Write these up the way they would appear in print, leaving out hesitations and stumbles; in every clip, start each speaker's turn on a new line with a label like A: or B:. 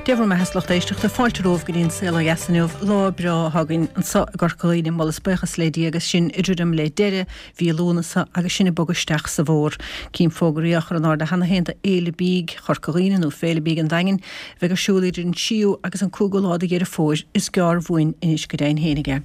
A: Dé bhur mbeatha a lucht éisteachta, fáilte romhaibh go dtí an Saol Ó Dheas inniu. Lá breá atá againn anseo i gCorca Dhuibhne, moladh is buíochas le Dia agus sinn ag druidim le deireadh mhí Lúnasa agus sinn ag bogadh isteach sa bhFómhar. Cím fógraí á chur in airde cheana féin do Fhéile Bídh Chorca Dhuibhne nó Féile Bídh an Daingin a bheidh ar siúl idir an 3ú agus an 5ú lá de Dheireadh Fómhair. Is gearr uainn anois go deimhin fhéinig é.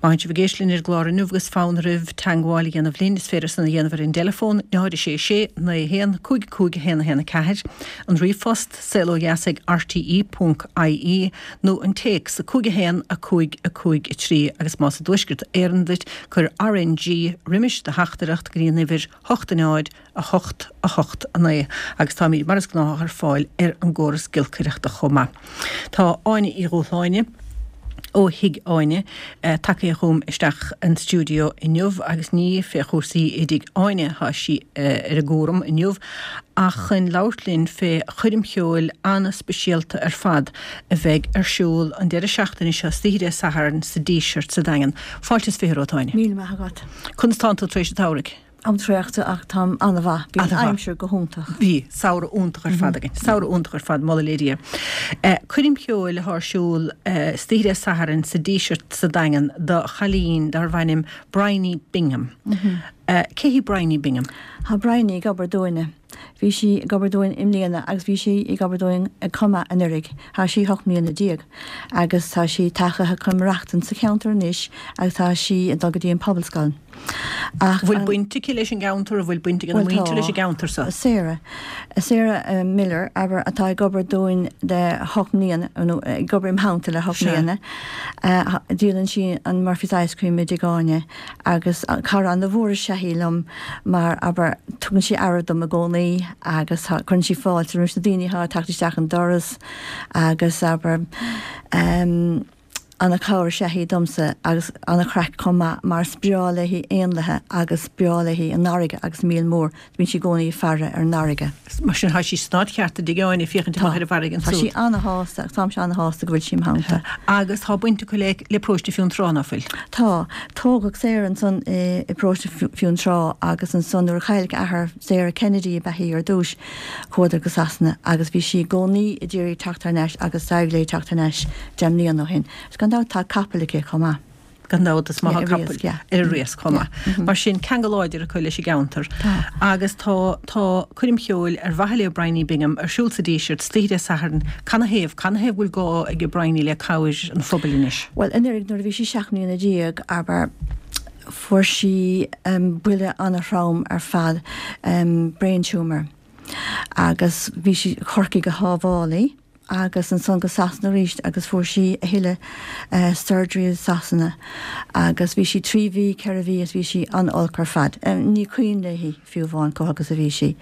A: Má théann sibh ag éisteacht linn ar an gclár inniu agus fonn oraibh teangmháil a dhéanamh linn, is féidir san a dhéanamh ar an dteileafón, 0 6 6 9 1 5 5 1 1 4, an ríomhphost, saolodheas ag rte ponc ie nó an téacs, 5 1 5 5 3 agus más i dTuaisceart Éireann duit, cuir RNG roimis do theachtaireacht go dtí an uimhir 8 0 8 8 9 agus táimid mar is gnáthach ar fáil ar an gcóras giolcaireachta chomh maith. Tá Áine Uí Dhúshláine ó Thigh Áine tagtha chugam isteach an stiúideo inniu agus ní fé chúrsaí i dTigh Áine atá sí ar an gcúram inniu ach chun labhairt linn fé choirm cheoil an-speisialta ar fad a bheidh ar siúl an deireadh seachtaine seo, istoíche Dé Sathairn sa Díseart sa Daingean. Fáilte is 20 romhat, Áine.
B: Míle maith agat.
A: Conas tánn tú tar éis an tsamhraidh?
B: Táim traochta ach táim an-mhaith. Bhí an aimsir go hiontach.
A: Bhí. Samhradh iontach ar fad againn. Samhradh iontach ar fad, moladh le Dia. Coirm cheoil atá ar siúl istoíche Dé Sathairn sa Díseart sa Daingean do chailín darbh ainm Bryony Bingham. Cé hí Bryony Bingham?
B: Tá Bryony ag obair dúinne. Bhí sí ag obair dúinn i mbliana agus bhí sí ag obair dúinn chomh maith anuraidh. Tá sí 18 mbliana agus tá sí tagtha chun maireachtaint sa cheantar anois agus tá sí ag dul go dtí an Pobalscoil.
A: Ach an bhfuil baint aici leis an gceantar, an bhfuil baint ag a muintir leis an gceantar
B: so? Sarah, Sarah Miller, abair, atá ag obair dúinn le hocht mbliana, nó ag obair im theannta le hocht mbliana. Díolann sí an Murphy's Ice Cream i dTigh Áine agus cara ana-mhór is ea í liom mar, abair, tugann sí aire dom i gcónaí agus cuireann sí fáilte roimh na daoine atá ag teacht isteach an doras agus, abair, Ana-chabhair is ea í domsa agus ana-chraic chomh maith mar is breá léi éanlaithe agus breá léi an fharraige agus an míol mór. Bíonn sí i gcónaí ag faire ar an
A: bhfarraige. Mar sin tá sí san áit cheart i dTigh Áine ag féachaint amach ar an bhfarraige
B: ansúd. Tá sí ana-shásta agus táimse ana-shásta go bhfuil sí im theannta.
A: Agus tá baint acu le le Paróiste Fionntrá, ná fuil?
B: Tá. Tógadh Sarah ansan i bParóiste Fionntrá agus ansan nuair a cailleadh a athair, Sarah Kennedy ab ea í ar dtúis, Chuadar go Sasana agus bhí sí i gcónaí ag iarraidh teacht thar n-ais agus d'éirigh léi teacht thar n-ais 10 mbliana ó shin. Agus gan dabht tá capall aici chomh maith.
A: Gan dabht is maith tá capall ar an riasc chomh maith. Mar sin, ceangal láidir acu leis an gceantar. Agus tá tá coirm cheoil ar mhaithe le Bryony Bingham ar siúl sa Díseart istoíche Dé Sathairn. Canathaobh? Canathaobh go bhfuil gá ag Bryony le cabhair an phobail anois?
B: Bhuel, anuraidh nuair a bhí sí 17 mbliana, abair, Fuair sí buille ana-throm ar fad, brain tumour, agus bhí sí, Corcaigh a shábháil í agus ansan go Sasana arís agus fuair sí a thuilleadh surgery i Sasana agus bhí sí 3 mhí, 4 mhí agus bhí sí an-olc ar fad. Ní cuimhin léi fiú amháin chomh holc is a bhí sí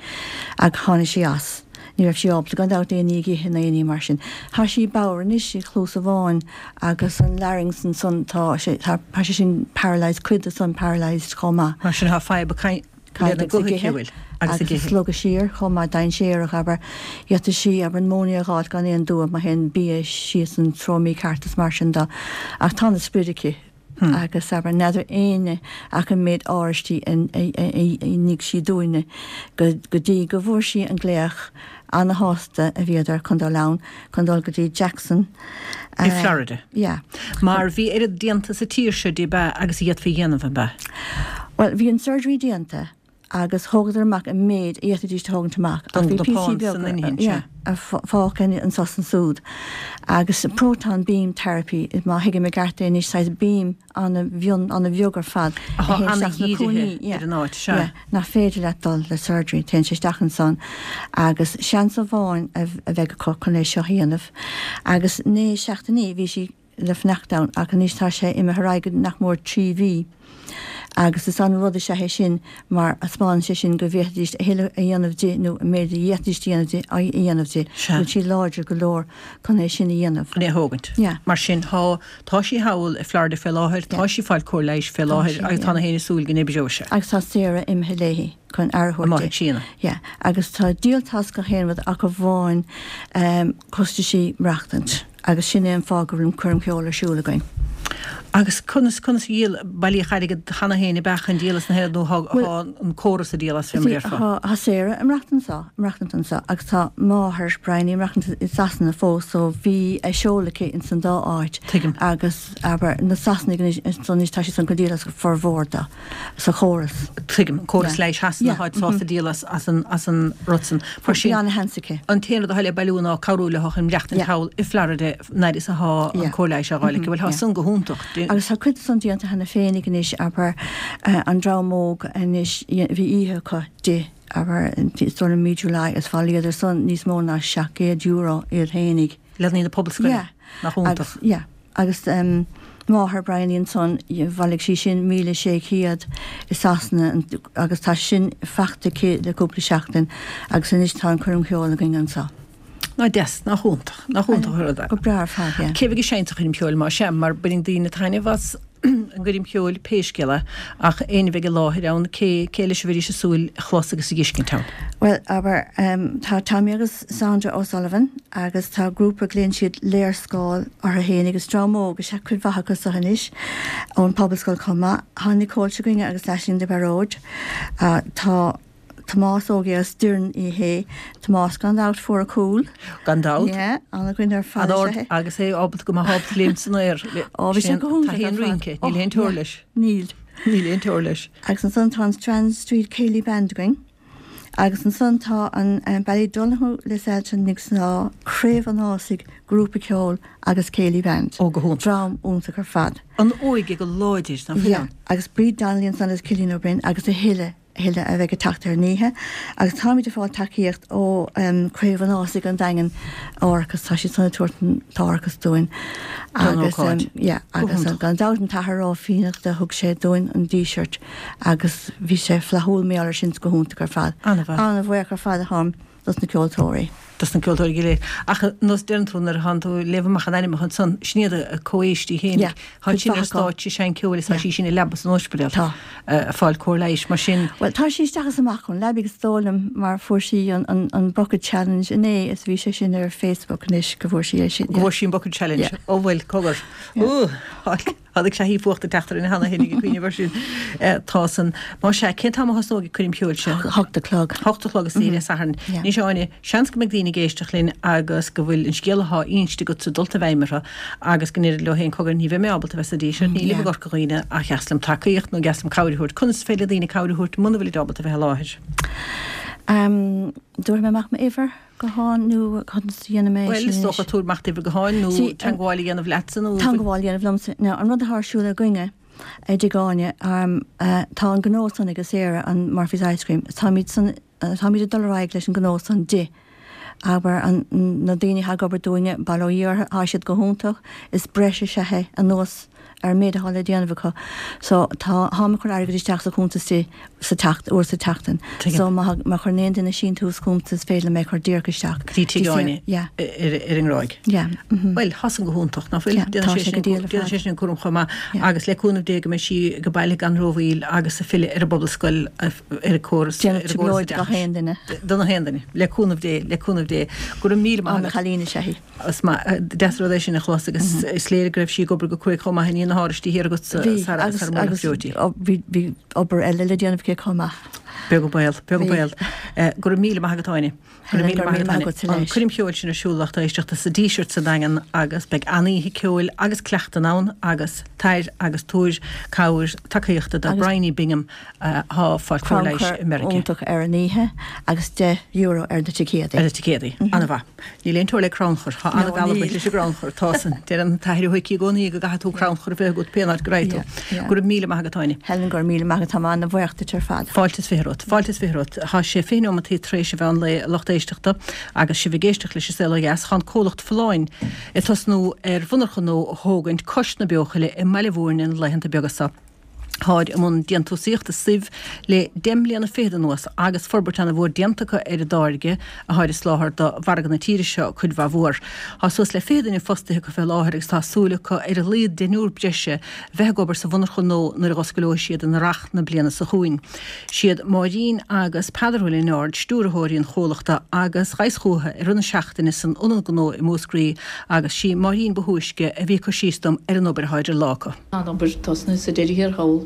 B: ach tháinig sí as. Ní raibh sí ábalta gan dabht aon ní a ithe ná aon ní mar sin. Tá sí bodhar anois i chluas amháin agus an larynx ansan tá sé tá sé sin paralysed, cuid de san paralysed chomh maith.
A: Mar sin tá fadhb lena guth aici, an bhfuil?
B: Agus ag slogadh siar chomh maith, dainséarach abair. D'fhéadfadh sí abair an móinéar a dh'fháilt gan aon dua má théann bia síos an treo mícheart is mar sin de. Ach tá ana sprid aici. Agus abair, n'fheadar éinne ach an méid áraistí a nigh sí dúinne go dtí go bhfuair sí an glaoch, ana-shásta a bhíodar chun dul ann, chun dul go dtí Jackson.
A: I Florida.
B: Yeah.
A: Mar bhí oiread déanta sa tír seo di ab ea agus a d'fhéadfaí a dhéanamh, ab ea?
B: Bhuel, bhí an surgery déanta agus thógadar amach an méid a d'fhéadfaidís a thógaint amach ach bhí píosaí beaga fágtha anso is ansúd agus proton beam therapy má thuigim i gceart é anois saghas beam ana-mhion ana-bheag ar fad
A: a théann isteach sna cúinní ar an áit sea.
B: nach féidir leat dul le surgery téann sé isteach ansan agus seans amháin a bheidh acu chun é seo a dhéanamh agus naoi seachtainí bhí sí le fanacht ann ach anois tá sé imithe ar aghaidh go nach mór 3 mhí agus is an-rud is ea é sin mar taispeánann sé sin go bhféadfaidís a thuilleadh a dhéanamh di nó an méid a d'fhéadfaidís a dhéanamh di a dhéanamh di, go bhfuil sí láidir go leor chun é sin a dhéanamh.
A: Chun é a thógaint.
B: Yeah.
A: Mar sin tá, tá sí thall i Florida fé láthair, tá sí ag fáil cóir leighis fé láthair agus tá na héinne ag súil go n-oibreoidh sé.
B: Agus tá Sarah imithe léi chun aire a thabhairt di.
A: Síona.
B: Yeah. Agus tá díolta as gach aon rud ach amháin costaisí maireachtaint. Agus sin é an fáth go bhfuil an choirm cheoil ar siúl againn.
A: Agus conas, conas a dhíol, bailíodh airgead cheana féin ab ea chun díol as na hairgead nó thá an córas ag díol as fé mar a déarfá?
B: Tá, tá Sarah ag maireachtaint anso, ag maireachtaint anso agus tá máthair Bryony ag maireachtaint i Sasana fós so bhí a seoladh aici ins an dá áit.
A: Tuigim.
B: Agus abair na Sasanaigh anois, anois tá siad san chun díol as formhór de. sa chóras.
A: Tuigim. An córas leighis Shasana, táid sásta díol as an rud san. Mar sin, an t-aon rud atá le bailiú ná cabhrú leo chun maireachtaint thall i Florida an fhaid is atá an cóir leighis á fháil aici. Bhuel, tá san go hiontach.
B: Agus tá cuid de san déanta cheana féinig anois, abair, an dream óg anois, bhí oíche acu di, abair, is dóigh liom mí July, is bhailíodar san níos mó ná €700 iad féinig.
A: Leanaí na pobalscoile. Nach iontach.
B: Yeah. Agus máthair Bryony ansan, bhailigh sí sin 1,600 i Sasana agus tá sin faighte aici le cúpla seachtain agus anois tá an coirm cheoil againn anso.
A: Nach deas, nach iontach, nach iontach an rud é.
B: Go breá ar fad, yeah.
A: Cé bheidh ag seinnt sa choirm cheoil más ea, mar baineann daoine taitneamh as an gcoirm cheoil pé scéal é, ach éinne a bheidh i láthair ann, cé, cé leis a bheidís ag súil a chlos agus a dh'fheiscint ann?
B: Bhuel, abair, tá Tommy agus Sandra O'Sullivan agus tá grúpa, glaonn siad Léarscáil orthu fhéin agus dream óg is ea cuid mhaith acu so anois ón Pobalscoil chomh maith. Tá Nicole s'againne agus Aisling de Baróid. Tá Tomás Óg as Doireann Uí Shé. Tomás gan dabht fuair a cúl.
A: Gan dabht.
B: Yeah, an-dhuine ar fad
A: is ea é. Agus é ábalta go mbeadh ábalta léimt san aer.
B: Ó, bhí sé go hiontach
A: ar fad. Taithí an rince, níl aon teora leis.
B: Níl.
A: Níl aon teora leis.
B: Agus ansan tá an Strand Street Céilí Band againn. Agus ansan tá an Ballydonoghue Lisselton Nic Snámha, Craobh an Ásaigh, Grúpa Ceoil agus Céilí Band.
A: Ó, go hiontach.
B: Dream iontach ar fad.
A: An óige go láidir, nach bhfuil
B: ann? Yeah, agus Bríd Donnelly ansan agus Cillian Ó Broin agus a thuilleadh. thuilleadh a bheidh ag teacht ar an oíche agus táimid ag fáil tacaíocht ó Craobh an Ásaigh an Daingin árachas, tá siad san ag tabhairt an t-árachas dúinn
A: agus
B: yeah agus gan dabht an tAthair Ó Fiannachta thug sé dúinn an Díseart agus bhí sé flaithiúil mar gheall air sin, go hiontach ar fad.
A: An-bhuíoch
B: ar fad atáim. dos na ceoltóirí.
A: dos na ceoltóirí go léir. Ach nós deireann tú nuair atánn tú ag léamh amach an ainmneacha ansan, sin iad a comhaoistigh féin.
B: Yeah,
A: Tá sin ar stáitse ag seinnt ceoil is tá sí sin i leaba san ospidéal.
B: Tá.
A: Ag fáil cóir leighis mar sin.
B: Bhuel, tá sí isteach is amach ón leabaidh is dóigh liom mar fuair sí an an an Bucket Challenge inné is bhí sé sin ar Facebook anois go bhfuair sí é sin.
A: Go bhfuair sí an Bucket Challenge.
B: Yeah.
A: Ó bhuel, cogar.
B: Yeah.
A: Ooh, Tháinig sé fuacht ag teacht orainn cheana féin ag cuimhneamh air sin. Tá san. Más ea, cén t-am a thosnóidh an coirm cheoil seo?
B: 8 a chlog.
A: 8 a chlog istoíche Dé Sathairn. Anois a Áine, seans go mbeidh daoine ag éisteacht linn agus go bhfuil an scéal athá inste agatsa dulta i bhfeidhm orthu agus go ndeirid leo féin cogar ní bheidh mé ábalta bheith sa Díseart, nílim i gCorca Dhuibhne ach dheas liom tacaíocht nó dheas liom cabhair a thabhairt. Conas is féidir le daoine cabhair a thabhairt muna bhfuilid ábalta bheith i láthair?
B: Tabharfaidh mé amach m'uimhir. Gutháin nó conas a dhéanfaidh mé é
A: sin Bhuel, is dócha tabhair amach d'uimhir gutháin nó teagmháil a dhéanamh leatsa
B: nó. Teagmháil a dhéanamh liomsa. Now, an rud atá ar siúl againne i dTigh Áine, tá an gnó san ag Sarah, an Murphy's Ice Cream, táimid san, táimid ag dul ar aghaidh leis an gnó san di. Abair, an, na daoine atá ag obair dúinne, bail ó Dhia orthu, tá siad go hiontach, is breis is ea é anuas ar an méid atá le déanamh acu. So, tá, táim ag cur airgead isteach sa chuntas di sa tseacht, uair sa tseachtain.
A: Tuigim.
B: So, má, má chuireann aon duine síntiús chugamsa is féidir liom é a chur díreach isteach.
A: Go dtí Tigh Áine
B: Yeah.
A: ar, ar an nGráig.
B: Yeah.
A: Mhm. Bhuel, tá san go hiontach, nach bhfuil?
B: Yeah, tá
A: Déanann sé
B: sé
A: sin,
B: go diail ar
A: déanann
B: fad.
A: sé sin an cúram chomh maith.
B: Yeah.
A: Agus le cúnamh Dé go mbeidh sí go baile gan rómhoill agus ag filleadh ar an bpobalscoil, ar an gcóras,
B: Déanamh
A: ar an gcóras
B: trioblóid do gach
A: oideachais.
B: aon duine.
A: Do na haon duine. Le cúnamh Dé, le cúnamh Dé. Go raibh míle maith
B: Ana
A: agat.
B: chailín is ea í.
A: Is maith, deas rud é sin a chlos agus is léir go raibh sí ag obair go cruaidh chomh maith i ndiaidh na hAráistí thiar agat
B: Bhí,
A: sara
B: agus,
A: sara mbuailfeadh
B: agus
A: breoití.
B: bhí, bhí obair eile le déanamh aici chomh maith.
A: Beag an baol, beag an
B: Bhí.
A: baol. Go raibh míle maith agat Áine. Go raibh
B: Helen,
A: míle
B: go raibh
A: maith
B: míle
A: agat
B: maith
A: Áine.
B: agatsa
A: An
B: leis.
A: coirm cheoil sin ar siúl lucht éisteachta sa Díseart sa Daingean agus beidh an-oíche ceoil agus cleachtain ann agus tar agus tabhair cabhair tacaíochta do
B: Agus
A: Bryony Bingham atá ag fáil cóir leighis
B: crannchur
A: i Meiriceá.
B: iontach ar an oíche agus €10 ar na ticéadaí.
A: Ar na ticéadaí. An-mhaith. Níl aon teora le crannchur. Tá
B: No,
A: an-mhealladh
B: níl.
A: leis an gcrannchur. Tá san. Deireann an tAthair Ó hIcí i gcónaí go gcaithfidh tú crannchur a bheith agat pé áit go raghaidh tú.
B: Yeah, yeah.
A: Go raibh míle maith agat, Áine.
B: Helen, go raibh míle maith agat. Tá mé ana-bhuíoch duit ar fad.
A: Fáilte is 20 romhat. Fáilte is 20 romhat. Tá sé 20 neomataí tar éis an mheán lae, a lucht éisteachta, agus sibh ag éisteacht leis an Saol Ó Dheas. Tá an comhlacht Folláin ag tosnú ar mhonarcha nua a thógaint cois na Beochoille i mBaile Mhúirne na laethanta beaga seo. Táid i mbun déantúsaíochta suibh le deich mbliana fichead anuas agus forbairt ana mhór déanta acu ar a dtáirge atháid ag soláthar do mhargadh na tíre seo cuid mhaith mhór. Tá suas le 20 duine fostaithe acu fé láthair agus tá súil acu ar a laghad deichniúr breise bheith ag obair sa mhonarcha nua nuair a dh'oscaileoidh siad in earrach na bliana so chugainn. Siad Máirín agus Peadar Ó Lionáird stiúrthóirí an chomhlachta agus ghabhas chúthu i rith na seachtaine san Ionad Gnó i Múscraí agus sí Máirín ba thúisce a bhí ag cur síos dom ar an obair atá idir lámha acu.
C: Tá an obair tosnaithe sa deireadh thiar thall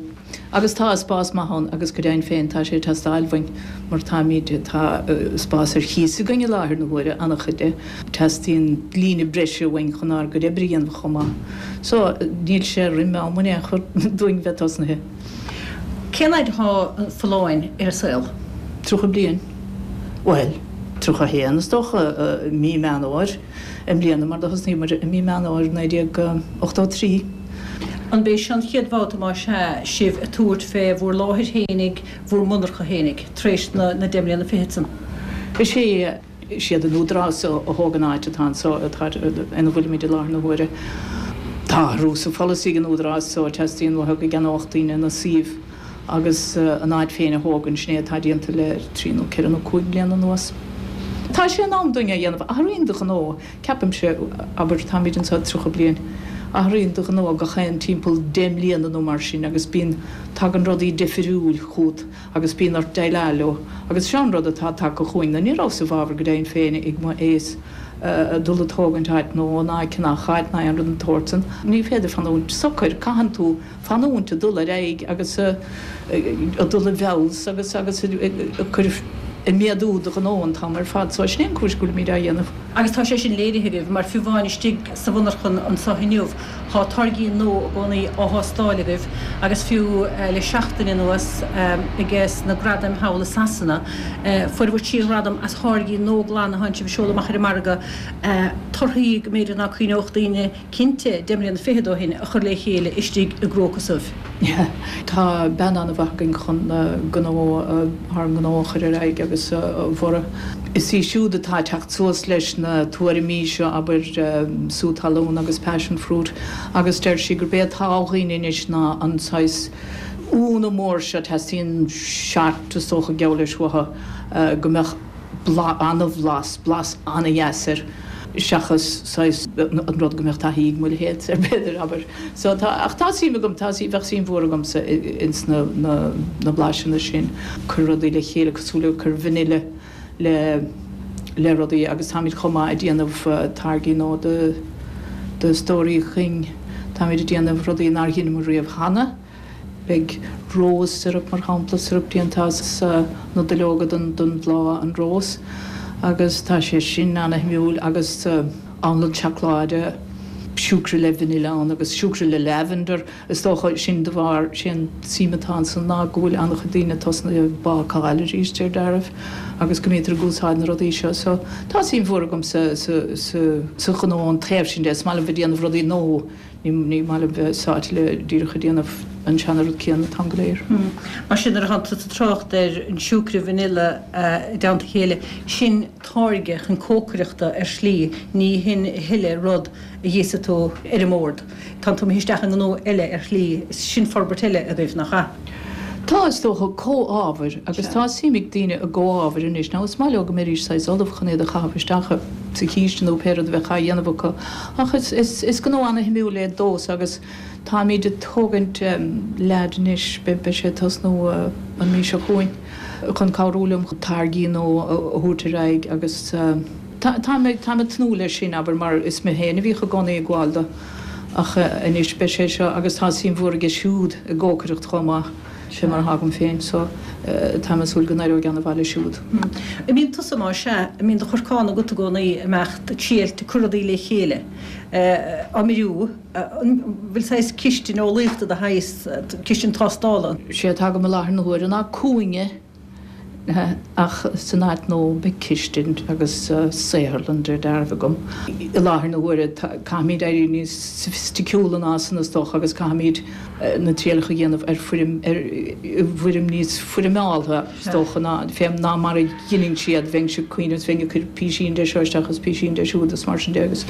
C: agus tá spás maith ann agus go deimhin féin tá sé ag teastáil uainn mar táimid, tá spás ar chíos againn i láthair na huaire, an-chuid de. Teastaíonn líne breise uainn chun ár gcuid oibre a dhéanamh chomh maith. So, níl sé roimh am in aon chor dúinn bheith tosnaithe.
A: Cén fhaid atá Folláin ar an saol?
C: 30 bliain. Bhuel, 31 is dócha, mí Meán Fhómhair. i mbliana mar do thosnaigh muid i mí Meán Fhómhair 1983.
A: An b'é seo an chéad bhabhta más ea sibh ag tabhairt fé bhur láthair fhéinig, bhur monarcha fhéinig, tar éis na deich mbliana fichead san?
C: Is é, is iad an Údarás a thóg an áit atá anso, atá, ina bhfuilimid i láthair na huaire. Tá athrú sa pholasaí ag an Údarás so teastaíonn uathu go gceannódh daoine na suímh. agus an áit féin a thógaint, sin é atá déanta le trí nó ceithre nó cúig bliana anuas. Tá sé in am dúinn é a dhéanamh. Athraíonn do ghnó, ceapaimse, abair, táimid anseo 30 bliain, athraíonn do ghnó gach aon timpeall 10 mbliana nó mar sin agus bíonn, tagann rudaí difiriúil chugat agus bíonn ort déileáil leo agus seo an rud atá tagtha chugainn. Nó ní rabhas i bhfabhar go deimhin féin ag mo aos dul ag tógaint áit nua ná ag ceannach áit ná aon rud den tsórt san. Ní féidir fanúint socair, caitheann tú fanúint ag dul ar aghaidh agus ag dul i bhfeabhas agus agus ag cur ag méadú do ghnó an t-am ar fad. So sin é an cúis go bhfuilimid á dhéanamh.
A: Agus tá sé sin léirithe agaibh, mar fiú amháin istigh sa mhonarchan anso inniu, tá táirgí nua i gcónaí á thástáil agaibh agus fiú le seachtain anuas ages na gradaim thall i Sasana, fuair bhur trí ghradam as tháirgí nua glana atánn sibh ag seoladh amach ar an margadh, torthaí go mb'fhéidir ná cuimhneodh daoine cinnte, deich mbliana fichead ó shin, a chur le chéile istigh i gcróca suibh.
C: Tá bean an-mhaith againn chun gnó, ár ngnó a chur ar aghaidh agus a bhorradh. Is í siúd atá ag teacht suas leis na tuairimí seo, abair, sú talún agus passion fruit, agus deir sí gurb é atá ó dhaoine anois ná an saghas ionadh mór seo, teastaíonn shot is dócha geall leis uathu, go mbeadh. an-bhlas, blas an-dheas air seachas saghas an rud go mbeadh taithí ag mo leithéid air b'fhéidir, abair. So tá, ach tá suim agam, tá, bheadh suim mhór agamsa ins na, na, na blaiseanna sin, cur rudaí le chéile cosúil le cur vanilla le, le rudaí agus táimid chomh maith ag déanamh táirgí nua do, do stóraí chuing, táimid ag déanamh rudaí nár dheineamar riamh cheana. Beidh rose syrup, mar shampla, syrup déanta as na duilleoga den bhláth, an rós, agus tá sé sin ana-shuimiúil agus anlann seacláide, siúcra le vanilla ann agus siúcra le lavender, is dócha, sin de bharr, sé an tsuim atá ansan ná go bhfuil an-chuid daoine tosnaithe ag bácáil arís, deir dealramh, agus go mbítear ag úsáid na rudaí seo. So, tá suim mhór agam sa, sa, sa, sa ghnó an taobh sin de, is maith liom bheith ag déanamh rudaí nua. Ní maith liom bheith sáite le díreach ag déanamh an seana-rud céanna an t-am go léir.
A: Mar sin, nuair atánn tú ag trácht ar an siúcra vanilla i dteannta a chéile, sin táirge chun cócaireachta ar shlí, ní hin a thuilleadh rud a dh'íosfaidh tú ar an mbord. Tánn tú imithe isteach i ngnó eile ar shlí, sin forbairt eile agaibh, nach ea?
C: Tá, is dócha, comhábhair, agus tá suim ag daoine i gcomhábhair anois. Now, is maith leo go mbeidís saghas ullamh chun iad a chaitheamh isteach sa chíste nó pé rud a bheadh á dhéanamh acu. Ach is, is, is gnó ana-shuimiúil é domhsa agus táimid ag tógaint leaid anois, beidh, beidh sé ag tosnú an mhí seo chugainn, chun cabhrú liom táirgí nua a thabhairt ar aghaidh agus tá, táim ag, táim ag tnúth leis sin, abair, mar is mé féin a bhíodh i gcónaí ag gabháil do. Ach anois beidh sé seo agus tá suim mhór aige siúd i gcócaireacht chomh maith, fé mar atá agam féin, so táim ag súil go n-éireoidh ana-mhaith leis siúd.
A: An mbíonn tusa, más ea, an mbíonn do chorcán agat i gcónaí ag imeacht, ag triailt, ag cur rudaí le chéile, á mbriú, an bhfuil saghas cistin eolaíochta de shaghas, cistin tástála?
C: Sé atá agam i láthair na huaire ná cúinne. Ach san áit nua beidh cistin agus saotharlann de réir dealraimh agam. I láthair na huaire caithfimid éirí níos soifisticiúla ná san is dócha agus caithfimid na trialacha a dhéanamh ar foirm, ar i bhfoirm níos foirmeáltha is dócha ná fé ná mar a dheineann siad. Bheinnse ag cuimhneamh is bheinn ag cur písín de seo isteach is písín de siúd is mar sin de agus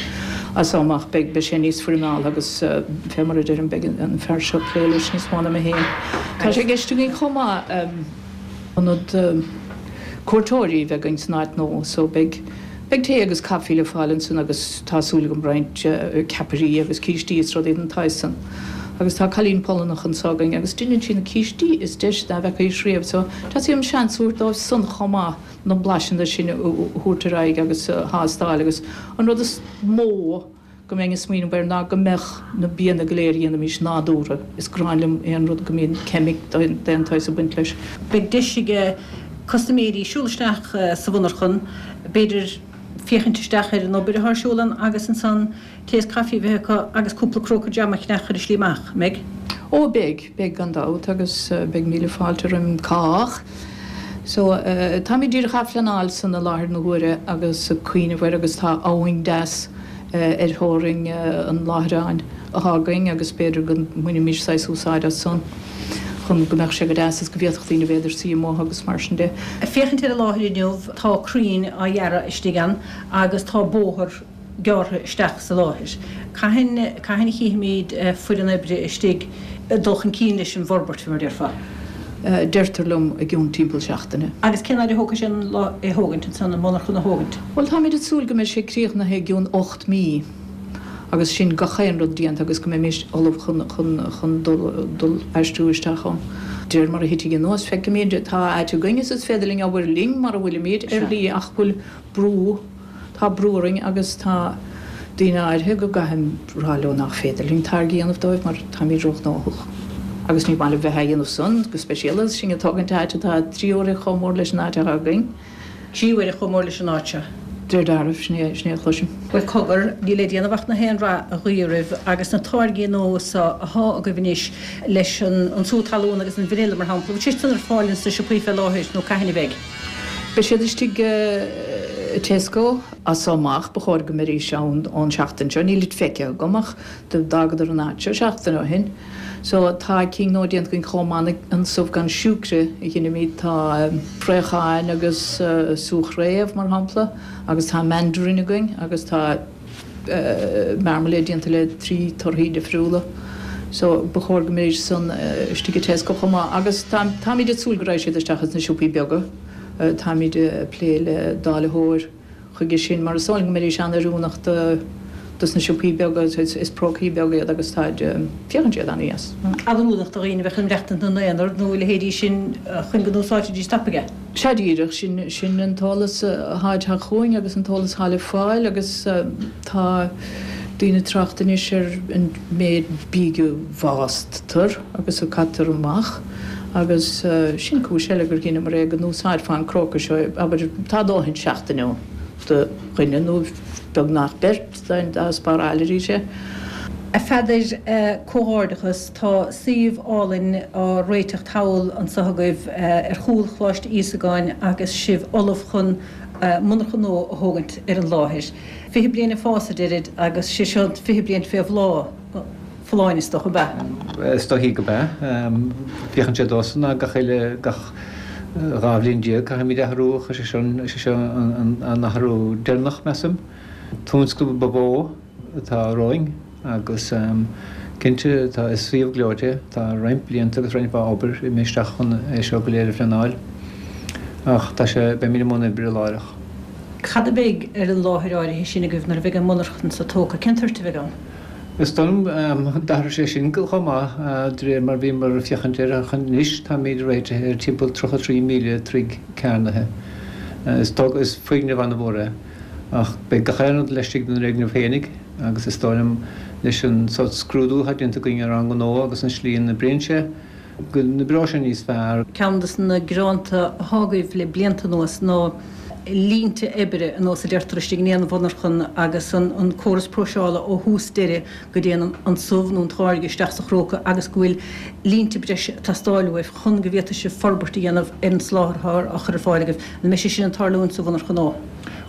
C: as so amach beidh beidh sé níos foirmeáltha agus fé mar a deirim beidh an fear seo ag plé leis níos mó ná mé féin. Tá sé i gceist againn chomh maith. Ionad cuairteoirí a bheith againn san áit nua so beidh beidh tae agus caife le fáil ansan agus tá súil agam roinnt ceapairí agus cístí is rudaí den tsaghas san. Agus tá cailín Polannach anso againn agus deineann sí na cístí is deise dá bhfeacaís riamh so teastaíonn uaim seans a thabhairt dóibh san chomh maith na blaiseanna sin a thabhairt ar aghaidh agus a thástáil agus an rud is mó go mbeinn ag smaoineamh air ná go mbeadh na bianna go léir a dhéanaimís nádúrtha. Is gráin liom aon rud go mbíonn ceimic d'aon tsaghas ag baint leis.
A: Beidh deis ag custaiméirí siúl isteach sa mhonarchan, b'fhéidir féachaint isteach ar an obair atá ar siúl ann agus ansan tae is caife a bheith acu agus cúpla cróca jam a cheannach ar a slí amach, an mbeidh?
C: Ó beidh, beidh gan dabht agus beidh míle fáilte roim cách. So, táimid díreach á phleanáil san i láthair na huaire agus ag cuimhneamh air agus tá abhainn deas ar theorainn an láithreáin athá againn agus b'fhéidir go mbainfimis saghas úsáid as san chun go mbeadh sé go deas is go bhféadfadh daoine b'fhéidir suí amuigh agus mar sin de.
A: Ag féachaint ar an láthair inniu tá crainn á ghearradh istigh ann agus tá bóthar gearrtha isteach sa láthair. Cathain, cathain a chífimid foireann oibre istigh ag dul chun cinn leis an bhforbairt, fé mar a déarfá?
C: Deirtear liom i gcionn timpeall seachtaine.
A: Agus cén fhaid a thógfaidh sé an é a thógaint ansan, an mhonarchan a thógaint?
C: Bhuel, táimid ag súil go mbeidh sé críochnaithe i gcionn 8 mí agus sin gach aon rud déanta agus go mbeimis ullamh chun, chun, chun dul, dul aistriú isteach ann. De réir mar a thitfidh anuas, feicfimid. Tá áit againn is is féidir linn obair linn mar a bhfuilimid ar shlí ach bhfuil brú, Tá brú orainn agus tá daoine áirithe go gcaithfidh rá leo nach féidir linn táirge a dhéanamh dóibh mar táimid róghnóthach. Agus ní maith liom bheith á dhéanamh san, go speisialta agus sinn ag tógaint áit atá trí huaire chomh mór leis an áit atá againn.
A: Trí huaire chomh mór leis an áit seo.
C: De réir dealraimh, sin é, sin é a chloisim.
A: Bhuel, cogar, níl le déanamh ach na haon rath a ghuí oraibh agus na táirgí nua so athá agaibh anois leis an sú talún agus an vanilla mar shampla, bhfuil siad san ar fáil ins na siopaí fé láthair nó cathain a bheidh?
C: Beidh siad istigh i Tesco as so amach, ba chóir go mbeidís ann ón seachtain seo, nílid feicthe agam ach d'fhágadar an áit seo seachtain ó shin. So tá cinn nua déanta againn chomh maith, an subh gan siúcre a dheinimid, tá fraocháin agus sú chraobh mar shampla agus tá mandarin againn agus tá. marmalade déanta le 3 torthaí difriúla so ba chóir go mbeidís san istigh i Tesco chomh maith agus táimid ag súil go raghaidh siad isteach ins na siopaí beaga. Táimid ag plé le dáilitheoir chuige sin mar is dóigh liom go mbeidís an-oiriúnach do dos na siopaí beaga, is prócaí beaga iad agus táid, féachann siad an-dheas.
A: An-oiriúnach do dhaoine a bheadh ag maireachtaint ina n-aonar nó a leithéidí sin chun go n-úsáidfidís tapaidh é.
C: Sea díreach, sin, sin an t-eolas athá ag teacht chugainn agus an t-eolas athá le fáil agus tá daoine ag trácht anois ar an méid bídh a bhástar agus a caitear amach agus sin cúis eile gur dheineamar é go n-úsáidfeá an cróca seo, abair, tá dóthain seachtain ann do dhuine nó beagnach beirt dá spáráil arís é.
A: A Pheadair, comhghairdeachas. Tá suíomh álainn á réiteach thall anso agaibh ar chúl Choláiste Íosagáin agus sibh ullamh chun monarcha nua a thógaint ar an láthair. 20 bliain ag fás, a deirid, agus sé seo an 20 bliain fé bhláth, folláin is dócha, ab
D: ea? Is dóichí go b'ea. Féachann sé domhsa ná gach uile, gach 12 bhliain caithfimid athrú ach is é seo, is é seo an athrú deireanach, measaim. Tionscnamh ba mhó atá romhainn agus cinnte tá, is suíomh gleoite é, tá roinnt blianta agus roinnt mhaith obair imithe isteach chun é seo go léir a phleanáil ach tá sé, beimid i mbun oibre láithreach.
A: Cad a bheidh ar an láthair áirithe sin agaibh nuair a bheidh an mhonarchan so tógtha? Cén toirt a bheidh ann?
D: Is dóigh liom, d'athraigh sé sin chomh maith de réir mar bhíomar ag féachaint air ach anois táimid réitithe ar timpeall 33,000 troigh cearnaithe. Is dóigh, is foirgneamh an-mhór é. Ach beidh gach aon rud laistigh den fhoirgneamh féinig agus is dóigh liom leis an sórt scrúdú atá déanta againn ar ár ngnó agus an slí ina n-oibríonn sé, go n-oibreoidh sé níos fearr.
A: Ceann de na greanta atá agaibh le blianta anuas ná. línte oibre, ar nós a deirtear, istigh in aon mhonarchan agus an córas próiseála ó thús deireadh go dtéann an subh nó an táirge isteach sa chróca agus go bhfuil línte breise ag teastáil uaibh chun go bhféadfaidh sibh forbairt a dhéanamh ar an soláthar atá á chur ar fáil agaibh. An mbeidh sé sin ag tarlúint sa mhonarcha nua?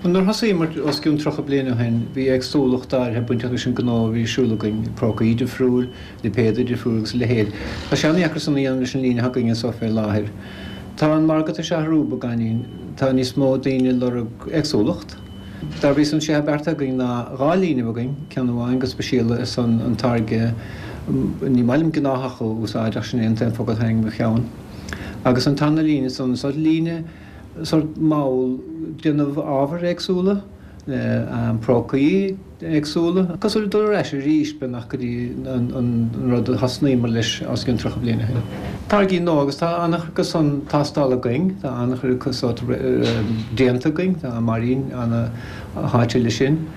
D: Bhuel, nuair a thosaíomar os cionn 30 bliain ó shin, bhí éagsúlacht áirithe bainteach leis an ngnó a bhí ar siúl againn, prócaí difriúil, lipéadú difriúil agus a leithéid. Tá sé an-dheacair san a dhéanamh leis an líne atá againn anso fé láthair. Tá an margadh tar éis athrú beagáinín, tá níos mó daoine ag lorg éagsúlacht. Dá bhrí san, sé atá beartaithe againn ná dhá líne a bheith againn, ceann amháin go speisialta ar son an táirge, ní maith liom gnáthach a úsáid ach sin é an t-aon focal a tháinig i mo cheann, agus an tarna líne san, sórt líne, sórt mall, déanamh ábhair éagsúla le prócaí éagsúla, cosúil le dul ar ais arís beagnach go dtí an rud a thosnaíomar leis os cionn 30 bliain ó shin. Táirgí nua agus tá an-chuid acu san tástála againn, tá an-chuid acu sórt déanta againn, tá Máirín ana-sháite leis sin.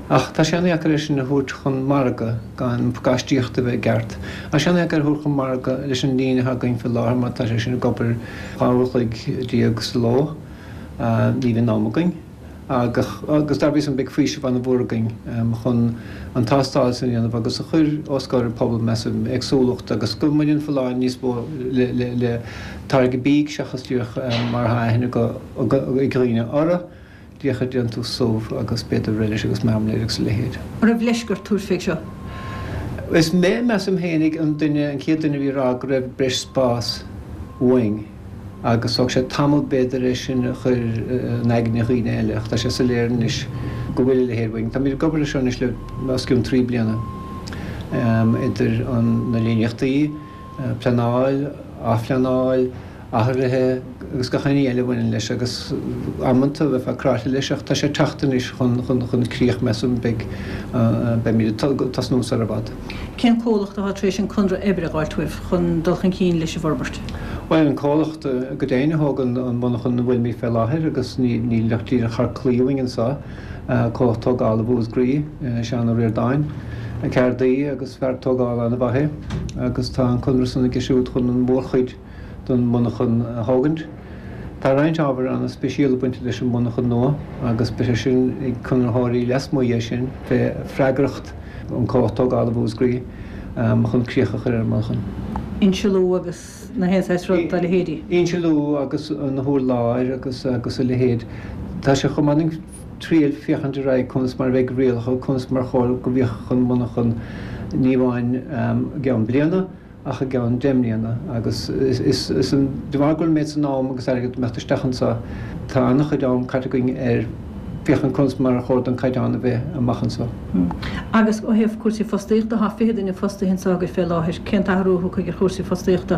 D: Ach tá sé an-dheacair é sin a thabhairt chun margaidh gan an phacáistíocht a bheith i gceart. Tá sé an-dheacair a thabhairt chun margaidh leis an líne atá againn faoi láthair mar tá sé sin ag obair 12 uair a chloig sa ló. Ní bhíonn am againn. Agus dá bhrí sin beidh faoiseamh an-mhór againn chun an tástáil sin a dhéanamh agus a chur os comhair an phobail, measaim, éagsúlacht agus go mbaineann folláine níos mó le táirge bídh seachas díreach mar atá aithne ag dhaoine orthu. Díreach ag déantús subh agus b'fhéidir roilis agus marmalade agus a leithéid.
A: An raibh leisc ort tabhairt fé seo?
D: Is mé, measaim fhéinig, an duine, an chéad duine a bhí ag rá go raibh breis spás uainn agus thóg sé tamall b'fhéidir é sin a chur in aigne dhaoine eile ach tá sé soiléir anois go bhfuil a leithéid uainn. Táimid ag obair ar seo anois le os cionn 3 bliana idir an, na líníochtaí, pleanáil, athphleanáil, athruithe agus gach aon ní eile a bhaineann leis agus amanta bheifeá cráite leis ach tá sé ag teacht anois chun críoch measaim beidh beimid ag tosnú sar i bhfad.
A: Cén comhlacht atá tar éis an conradh oibre a dh'fháilt uaibh chun dul chun cinn leis an bhforbairt?
D: Bhuel an comhlacht go deimhin a thóg an mhonarchan ina bhfuilimid fé láthair agus níl ach díreach thar claí uainn anseo, comhlacht tógála Mhúscraí, Seán Ó Ríordáin, ceardaí agus fear tógála an-mhaith é agus tá an conradh san aige siúd chun an mhórchuid don mhonarchan a thógaint. Tá roinnt ábhair an-speisialta bainte leis an mhonarchan nua agus beidh sé sin ag conraitheoirí lasmuigh dhe sin fé freagracht an comhlacht tógála Mhúscraí chun críoch a chur ar an monarchan.
A: Insealú agus na haon saghas rud dá leithéidí.
D: Insealú agus na hurláir agus agus a leithéid. Tá sé chomh maith linn triail féachaint ar aghaidh conas mar a bheidh rialacha, conas mar chóir go bhféachfadh an mhonarchan ní amháin i gceann bliana, ach i gceann 10 mbliana agus is de bharr go bhfuil an méid san am agus airgead ag imeacht isteach anseo, tá an-chuid am caite againn ar féachaint conas mar a chóir don caighdeán a bheith amach anseo.
A: Agus ó thaobh cúrsaí fostaíochta, tá 20 duine fostaithe anseo agaibh fé láthair, cén t-athrú a thiocfaidh ar chúrsaí fostaíochta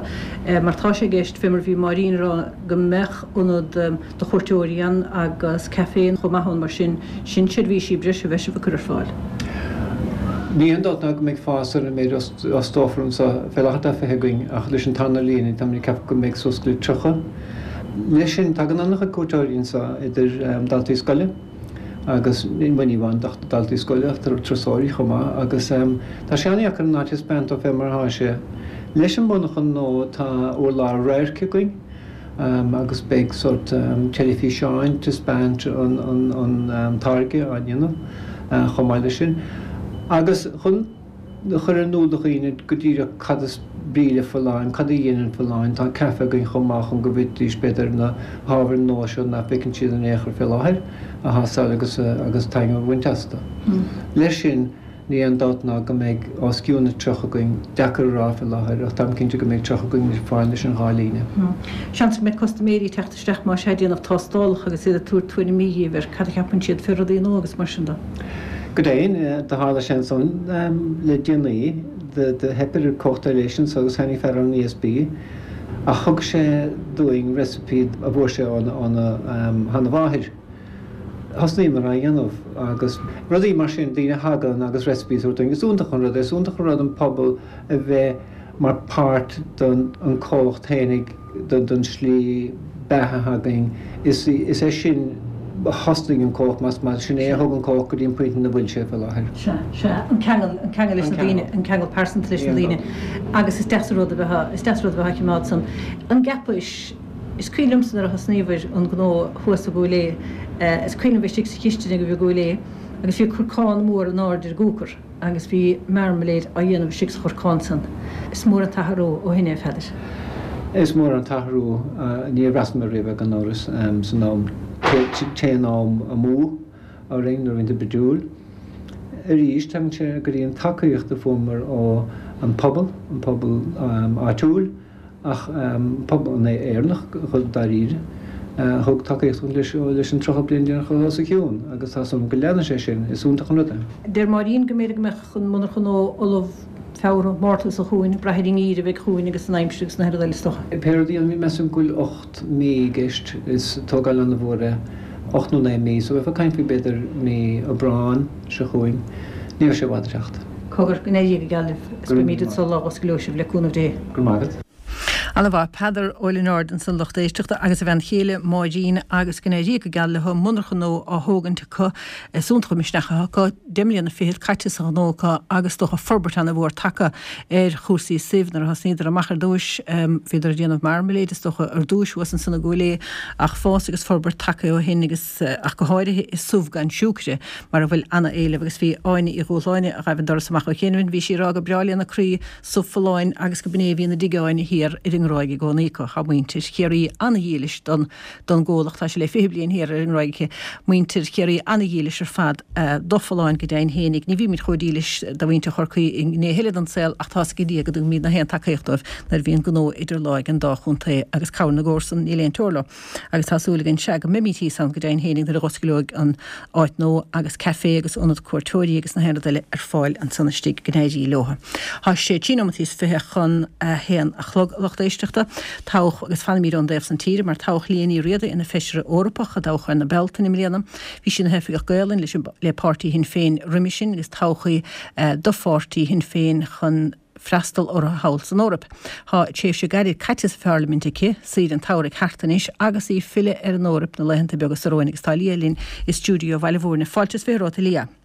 A: mar tá sé i gceist, fé mar a bhí Máirín a rá, go mbeadh ionad do chuairteoirí ann agus caifé chomh maith ann mar sin, sin seirbhísí breise a bheidh sibh ag cur ar fáil.
D: Ní haon dabht ná go mbeidh fás ar an méid a fhostófar anseo. Fé láthair tá 20 againn ach leis an tarna líne táimid ag ceapadh go mbeidh suas go 30. Leis sin tagann an-chuid cuairteoirí anseo idir daltaí scoile agus, bhuel ní amháin daltaí scoile ach turasóirí chomh maith agus tá sé an-dheacair an áit a thaispeáint dóibh fé mar atá sé. Leis an mhonarchan nua tá urlár radhairc againn. agus beidh sórt teilifíseáin taispeáint an táirge á ndéanamh chomh maith leis sin. Agus chun a chur in iúl do dhaoine go díreach cad is brí le folláin, cad a dhéanann folláin, tá caife againn chomh maith chun go bhféadfaidís b'fhéidir na hábhair nua seo nach bhfeiceann siad in aon chor fé láthair a thástáil agus agus taitneamh a bhaint astu. Leis sin. Ní aon dabht ná go mbeidh os cionn na 30 againn, deacair a rá fé láthair ach táim cinnte go mbeidh 30 againn ar fáil leis an dhá líne.
A: Seans go mbeidh custaiméirí ag teacht isteach más ea ag déanamh tástálacha agus iad ag tabhairt tuairimí dhíbh ar cad a cheapann siad fé rudaí nua agus mar sin de.
D: Go deimhin, do tharla sé ansan le déanaí, do theip ar comhlacht eile anso agus tháinig fear ón ESB ach thug sé dúinn recipe a bhfuair sé óna sheana-mháthair. Thosnaíomar á dhéanamh agus rudaí mar sin, daoine a thagann agus recipes a thabhairt dúinn. Is iontach an rud é, is iontach an rud an pobal a bheith mar páirt den an comhlacht fhéinig, den slí beatha atá againn. Is é sin a thosnaigh an comhlacht más maith, sin é a thug an comhlacht go dtí an pointe ina bhfuil sé faoi láthair.
A: Sea, sea, an ceangal, an ceangal leis na daoine, an ceangal pearsanta leis na daoine agus is deas an rud a bheith, is deas an rud a bheith á chimeád san. An gceapais? Is cuimhin liomsa nuair a thosnaíobhair an gnó thuas i gCúil Aodha, is cuimhin liom bheith istigh sa chistin agaibh i gCúil Aodha agus bhí corcán mór in airde ar an gcúcar agus bhí marmalade á dhéanamh istigh sa chorcán san. Is mór an t-athrú ó shin é, a Pheadair.
D: Is mór an t-athrú, níor bhreathnaigh mé riamh air gan amhras, san am, téann am amú orainn nuair a bhíonn tú brúidiúil. Arís, tagann sé go dtí an tacaíocht a fuaireamar ó an pobal, an pobal áitiúil, Ach pobal Éireannach dáiríre, a thug tacaíocht dúinn leis an 30 bliain deireanach atá os a chionn agus tá súil agam go leanfaidh sé sin, is iontach an rud é.
A: Deir Máirín go mb'fhéidir go mbeadh an monarcha nua ullamh Feabhra, Márta seo chugainn, ag brath ar an ngeimhreadh a bheidh chugainn agus an aimsir agus na haon rud eile is dócha.
D: Pé rud é, measaim go bhfuil 8 mí i gceist, is tógáil an-mhór é, 8 nó 9 mí, so bheifeá ag caint faoi b'fhéidir mí Aibreáin seo chugainn, ní bheidh sé i bhfad ag teacht.
A: Cogar, go n-éirí go geal libh is beimid anso lá a osclóidh sibh le cúnamh Dé.
D: Go raibh maith agat.
A: Ana mhaith. Peadar Ó Lionáird ansan lucht éisteachta agus a bhean chéile Máirín agus go n-éirí go geal leo, monarcha nua á thógaint acu. Is iontach an misneach atá acu, 10 mbliana fichead caite sa ghnó acu agus is dócha forbairt ana mhór tagtha ar chúrsaí suibh. Nuair a thosnaíodar amach ar dtúis bhíodar ag déanamh marmalade is dócha ar dtúis thuas ansan i gCúil Aodha ach fás agus forbairt tagtha ó shin agus ach go háirithe i subh gan siúcre, mar a bhfuil ana-éileamh agus bhí Áine Uí Dhúshláine, a ghaibh an doras amach ó chianaibh, bhí sí ag rá gur breá lena croí subh folláin agus go b'in é a bhíonn i dtigh Áine thiar ar an nGráig i gcónaí acu. Tá muintir Chiarraí ana-dhílis don don gcomhlacht, tá sé le 20 bliain thiar ar an nGráig aici. Muintir Chiarraí ana-dhílis ar fad do Folláin go deimhin fhéinig. Ní bhímid chomh dílis do mhuintir Chorcaí i ngnéithe eile den saol ach tá's ag Dia go dtugaimid na haon tacaíocht dóibh nuair a bhíonn gnó idir lámha ag an dá chontae agus cabhair na gcomharsan, níl aon teora leo. Agus tá súil againn, sea, go mbeimid thíos ann go deimhin fhéinig nuair a dh'osclóidh an áit nua agus café agus ionad cuairteoirí agus na haon rud eile ar fáil ansan istigh, go n-éirí leo. Tá sé trí nóimeataí is 20 chun a haon a chlog, a lucht éisteachta. Toghadh, agus fanaimid ón dtaobh san tíre, mar toghadh Liadh Ní Riada ina Feisire Eorpach i dtoghchán na Bealtaine i mbliana. Bhí sí ina hOifigeach Gaolainn leis an, le páirtí Shinn Féin roimhe sin agus toghadh í do pháirtí Shinn Féin chun, freastal orthu thall san Eoraip. Tá tréimhse gairid caite sa Pharlaimint aici, saoire an tsamhraidh thart anois agus í ag filleadh ar an Eoraip na laethanta beaga seo romhainn agus tá Liadh linn i stiúideo Bhaile Mhúirne. Fáilte is 20 romhat, a Liadh.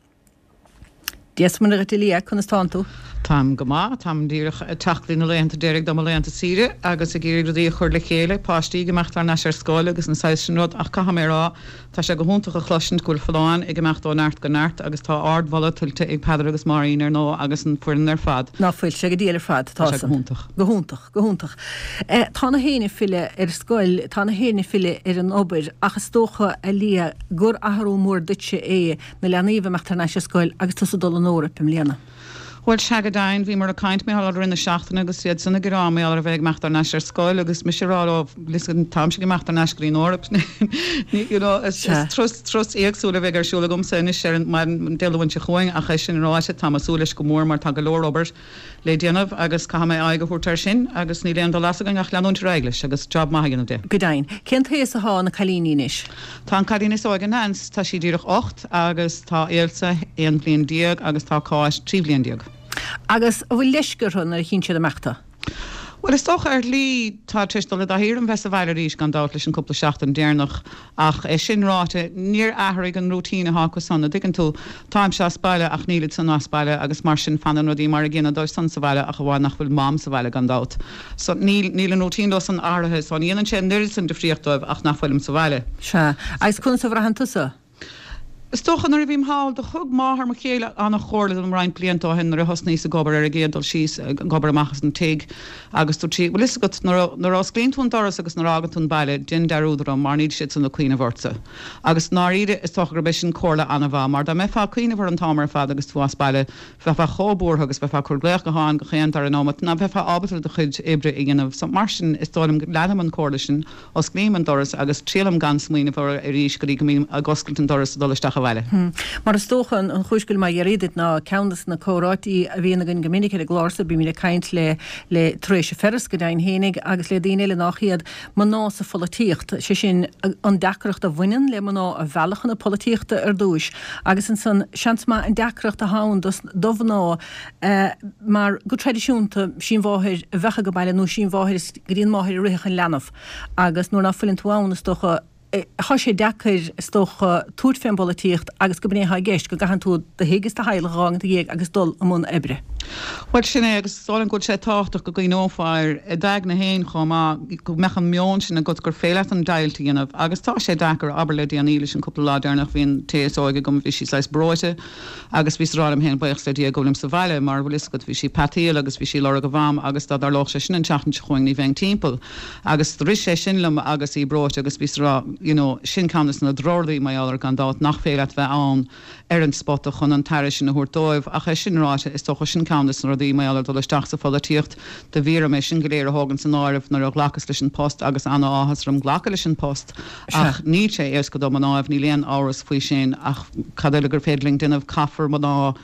A: Dia is Muire dhuit, a Liadh, conas tánn tú?
E: Táim go maith. Táim díreach ag teacht go dtí na laethanta deiridh de mo laethanta saoire agus ag iarraidh rudaí a chur le chéile, páistí ag imeacht thar n-ais ar scoil agus an saghas sin rud ach caithfidh mé a rá, Tá sé go hiontach a chloisint go bhfuil Folláin ag imeacht ó neart go neart agus tá ardmholadh tuillte ag Peadar agus Máirín ar ndóigh agus an foireann ar fad.
A: Ná fuil sé go diail ar fad?
E: Tá sé go hiontach.
A: Go hiontach, go hiontach. Tá na héinne ag filleadh ar scoil, tá na héinne ag filleadh ar an obair ach is dócha, a Liadh, gur athrú mór duitse é na leanaí a bheith ag imeacht thar n-ais ar scoil agus tusa ag dul an Eoraip i mbliana.
E: Bhuel, sea go deimhin, bhíomar ag caint mar gheall air i rith na seachtaine agus iad san ag rá mar gheall ar a bheith ag imeacht thar n-ais ar scoil agus mise ag rá leo, listen, táimse ag imeacht thar n-ais go dtí an Eoraip. You know, is turas, turas éagsúil a bheidh ar siúl agamsa anois ar an maidin Dé Luain seo chugainn ach é sin ráite, táim ag súil leis go mór mar tá go leor obair le déanamh agus caithfidh mé aghaidh a thabhairt air sin agus níl aon dul as againn ach leanúint ar aghaidh leis agus job maith a dhéanamh de.
A: Go deimhin. Cén t-aos atá na cailíní anois?
E: Tá an cailín is óige, Nance, tá sí díreach 8 agus tá Ailsa 11 bhliain agus tá Cáit 13 bhliain.
A: Agus an bhfuil leisce orthu nuair a chíonn siad amach tú?
E: Bhuel, is dócha ar shlí, tá tar éis dul i dtaithí orm bheith sa bhaile arís gan dabht leis an cúpla seachtain deireanach ach é sin ráite, níor athraigh an routine atá acu san, a' dtuigeann tú. Táimse as baile ach nílid san as baile agus mar sin fanann rudaí mar a gcéanna dóibh san sa bhaile ach amháin nach bhfuil Mam sa bhaile gan dabht. So níl, níl an routine leo san athraithe so ní dhéanann sé an oiread san difríocht dóibh ach nach bhfuilim sa bhaile.
A: Sea. Agus conas a bhraitheann tusa?
E: Is dócha nuair a bhím thall, do thug máthair mo chéile an-chomhairle dom roinnt blianta ó shin nuair a thosnaíos ag obair ar an gcéad dul síos, ag obair amach as an tigh agus dúirt sí, bhfuil fhios agat, nuair a, nuair a osclaíonn tú an doras agus nuair a fhágann tú an baile, déan dearúd orm mar níl siad san ag cuimhneamh ortsa. Agus i ndáiríre, is dócha gurb é sin comhairle an-mhaith mar dá mbeifeá ag cuimhneamh orm an t-am ar fad agus tú as baile, Bheifeá chomh buartha agus bheifeá ag cur glaoch gutháin gach aon dara nóimeat ná bheifeá ábalta do chuid oibre a dhéanamh. So, mar sin, is dóigh liom go leanaim an comhairle sin, osclaím an doras agus triailim gan smaoineamh orthu arís go dtí go mbím ag oscailt an doras ag dul isteach abhaile.
A: Mar is dócha, an chúis go bhfuil mé ag iarraidh duit ná ceann de na comhráití a bhíonn againn go minic ar an gclár so, bímid ag caint le le Theresa Ferris go deimhin fhéinig agus le daoine eile nách iad, mná sa pholaitíocht, sé sin, an deacracht a bhaineann le mná a mhealladh chun na polaitíochta ar dtúis agus ansan, seans maith, an deacracht atá ann do mhná mar go traidisiúnta, sí an mháthair a bheadh ag baile nó sí an mháthair is go dtí an máthair a rithfeadh an leanbh agus nuair ná fuileann tú ann, is dócha. Tá sé deacair, is dócha, tabhairt fén bpolaitíocht agus go b'in é atá i gceist, go gcaitheann tú do thigh is do theaghlach a dh'fhágaint ina dhiaidh agus dul i mbun oibre.
E: Bhuel, sin é, agus is dóigh liom go bhfuil sé tábhachtach go gcuimhneofá air i d'aigne féin chomh maith, go mbeadh an meon sin agat gur féidir leat an deighilt a dhéanamh. Agus tá sé deacair, abair le déanaí, leis an cúpla lá deireanach, bhí an té is óige agam, bhí sí saghas breoite agus bhíos ag rá liom féin, buíochas le Dia go bhfuilim sa bhaile, mar bhfuil fhios agat, bhí sí ag peataíl agus bhí sí ag lorg a mham agus dá dtarlódh sé sin an tseachtain seo chugainn ní bheinn timpeall. Agus rith sé sin liom agus í breoite agus bhíos ag rá, you know, sin ceann des na drochrudaí mar gheall air gan dabht, nach féidir leat bheith ann ar an spota chun an t-aire sin a thabhairt dóibh. Ach é sin ráite, is dócha sin ceann des na rudaí mar gheall ar dul isteach sa pholaitíocht, do bhí orm é sin go léir a thógaint san áireamh nuair a ghlacas leis an post agus ana-áthas orm glacadh leis an post. Ach níl sé éasca do mnáibh, níl aon amhras faoi sin ach cad eile gur féidir linn déanamh, caithfear mná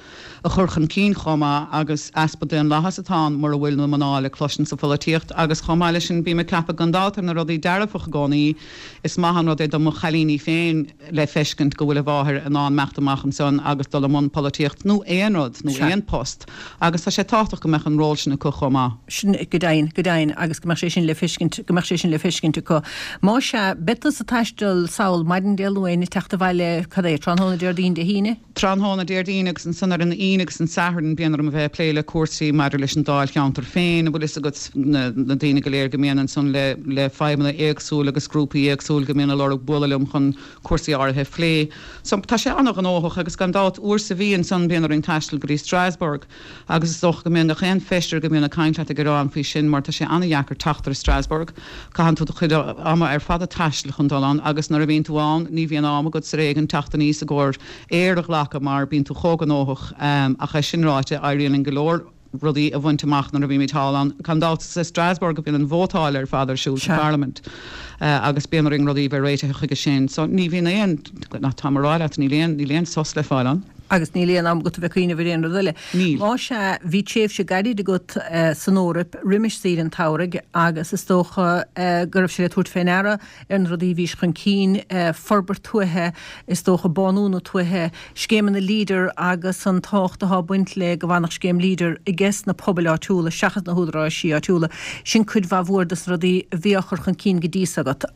E: a chur chun cinn chomh maith agus easpa daonlathas atá ann mura bhfuil na mná le cloisint sa pholaitíocht agus chomh maith leis sin bím ag ceapadh gan dabht ar na rudaí dearfach i gcónaí is maith an rud é do mo chailíní féin le feiscint go bhfuil a mháthair in ann imeacht amach ansan agus dul i mbun polaitíocht nó aon rud nó aon post agus tá sé tábhachtach go mbeadh an ról sin acu chomh maith.
A: Sin go deimhin, go deimhin agus go mbeadh sé sin le feiscint, go mbeadh sé sin le feiscint acu. Más ea, beidh tusa ag taisteal sall maidin Dé Luain ag teacht abhaile, cad é, tráthnóna Déardaoin, Dé hAoine?
E: Tráthnóna Déardaoin agus ansan ar an Aoine agus an Satharn bíonn orm a bheith ag plé le cúrsaí maidir leis an dáilcheantar féin, an bhfuil fhios agat, na daoine go léir go mbíonn ansan le le fadhbanna éagsúil agus grúpaí éagsúil go mbíonn ag lorg bualadh liom chun cúrsaí áirithe a phlé. So tá sé an-ghnóthach agus gan dabht uair sa mhí ansan bíonn orainn taisteal go dtí Strasbourg. Agus is dócha go mbíonn gach aon feisire go mbíonn ag caint leat ag gearán faoi sin mar tá sé an-dheacair teacht ar Strasbourg. Caitheann tú do chuid ama ar fad ag taisteal chun dul ann agus nuair a bhíonn tú ann ní bhíonn am agat ar éigean teacht aníos i gcomhair aer a ghlacadh mar bíonn tú chomh gnóthach. Ach é sin ráite, éiríonn linn go leor rudaí a bhaint amach nuair a bhímid thall ann. Gan dabht is i Strasbourg a bhíonn an vótáil ar fad ar siúl sa Pharlaimint agus bíonn orainn rudaí a bheith réitithe chuige sin. So ní bhíonn aon, táim a rá leat, níl aon, níl aon sos le fáil ann.
A: Agus níl aon am agat a bheith ag cuimhneamh ar aon rud eile.
E: Níl.
A: Más ea, bhí tréimhse gairid agat san Eoraip roimis saoire an tsamhraidh agus is dócha go raibh sé le tabhairt fé ndeara ar na rudaí a bhís chun cinn, forbairt tuaithe, is dócha bánú na tuaithe, scéimeanna Leader agus an tábhacht atá ag baint le go bhfanfadh scéim Leader ages na pobail áitiúla seachas na húdaráisí áitiúla. Sin cuid mhaith mhór des na rudaí a bhí á chur chun cinn go dtí so agat.